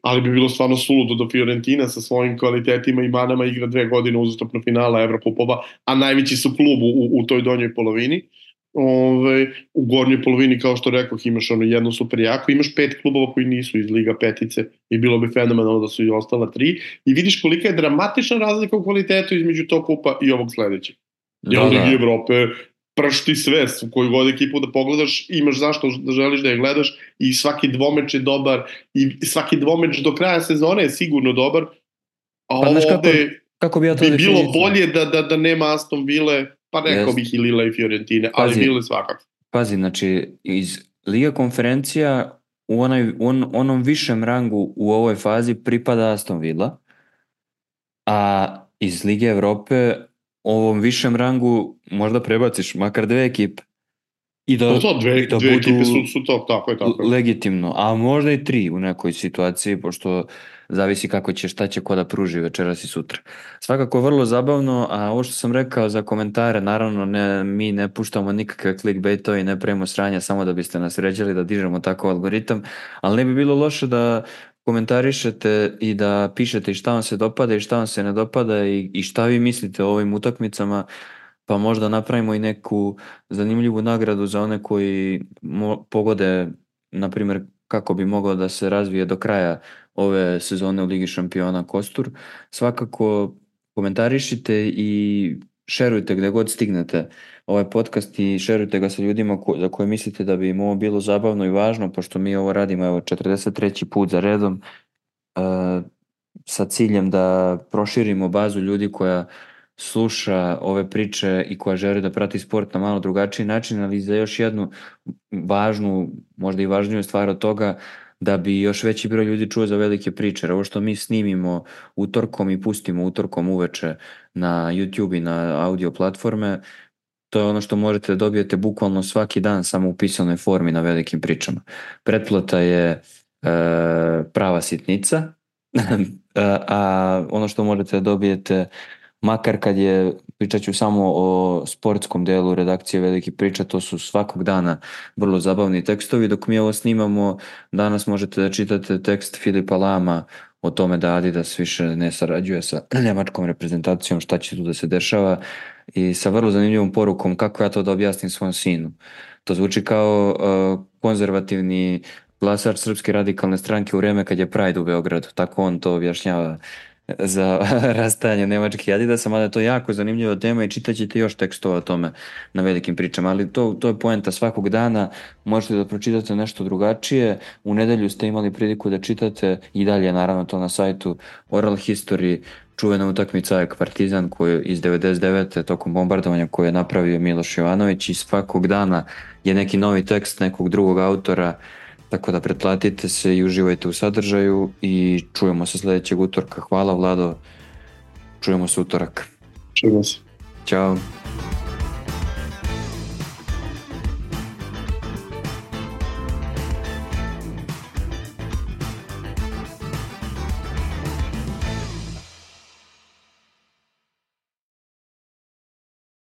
ali bi bilo stvarno suludo da Fiorentina sa svojim kvalitetima i manama igra 2 godine uzastopno finala Evrokupova, a najveći su klub u toj donjoj polovini. U gornjoj polovini, kao što rekoh, imaš jedno super jako, imaš 5 klubova koji nisu iz Liga petice i bilo bi fenomenalno da su i ostala 3 i vidiš kolika je dramatična razlika u kvalitetu između tog kupa i ovog sledećeg. Jer u Ligi Evrope pršti sve, koju god ekipu da pogledaš, imaš zašto da želiš da je gledaš i svaki dvomeč je dobar i svaki dvomeč do kraja sezone je sigurno dobar, a ovde bi bilo bolje da nema Aston Ville, pa rekao bih i Lila i Fiorentine, ali Ville svakako. Pazi, znači iz Liga konferencija u onom višem rangu u ovoj fazi pripada Aston Villa, a iz Lige Evrope ovom višem rangu možda prebaciš makar 2 ekipe i da dve ekipe su to, tako je. Legitimno, a možda i 3 u nekoj situaciji, pošto zavisi kako će, šta će ko da pruži večeras i sutra. Svakako vrlo zabavno, a ovo što sam rekao za komentare, naravno mi ne puštamo nikakve clickbaitove i ne pravimo sranja samo da biste nas ređali da dižemo tako algoritam, ali ne bi bilo loše da komentarišete i da pišete šta vam se dopada i šta vam se ne dopada i šta vi mislite o ovim utakmicama, pa možda napravimo i neku zanimljivu nagradu za one koji pogode, na primjer, kako bi mogao da se razvije do kraja ove sezone u Ligi šampiona kostur. Svakako komentarišite i šerujte gde god stignete ovaj podcast i šerujte ga sa ljudima za koje mislite da bi im ovo bilo zabavno i važno, pošto mi ovo radimo 43. put za redom sa ciljem da proširimo bazu ljudi koja sluša ove priče i koja želi da prati sport na malo drugačiji način, ali za još jednu važnu, možda i važniju stvar od toga, da bi još veći broj ljudi čuo za velike priče. Ovo što mi snimimo utorkom i pustimo utorkom uveče na YouTube i na audio platforme, to je ono što možete da dobijete bukvalno svaki dan samo u pisanoj formi na velikim pričama. Pretplata je prava sitnica, a ono što možete da dobijete makar kad je pričat ću samo o sportskom delu redakcije Veliki priča, to su svakog dana vrlo zabavni tekstovi. Dok mi ovo snimamo, danas možete da čitate tekst Filipa Lama o tome da Adidas više ne sarađuje sa njemačkom reprezentacijom, šta će tu da se dešava, i sa vrlo zanimljivom porukom kako ja to da objasnim svom sinu. To zvuči kao konzervativni glasač Srpske radikalne stranke u vreme kad je Pride u Beogradu, tako on to objašnjava za rastajanje nemačkih Adidasa, mada je to jako zanimljiva tema i čitat ćete još tekstova o tome na Velikim pričama, ali to je poenta svakog dana, možete da pročitate nešto drugačije. U nedelju ste imali priliku da čitate i dalje, naravno, to na sajtu Oral History, čuvena utakmica AEK Partizan koju iz 99. tokom bombardovanja koju je napravio Miloš Jovanović, i svakog dana je neki novi tekst nekog drugog autora, tako da pretplatite se i uživajte u sadržaju i čujemo se sljedećeg utorka. Hvala, Vlado, čujemo se utorak. Čujemo se. Ćao.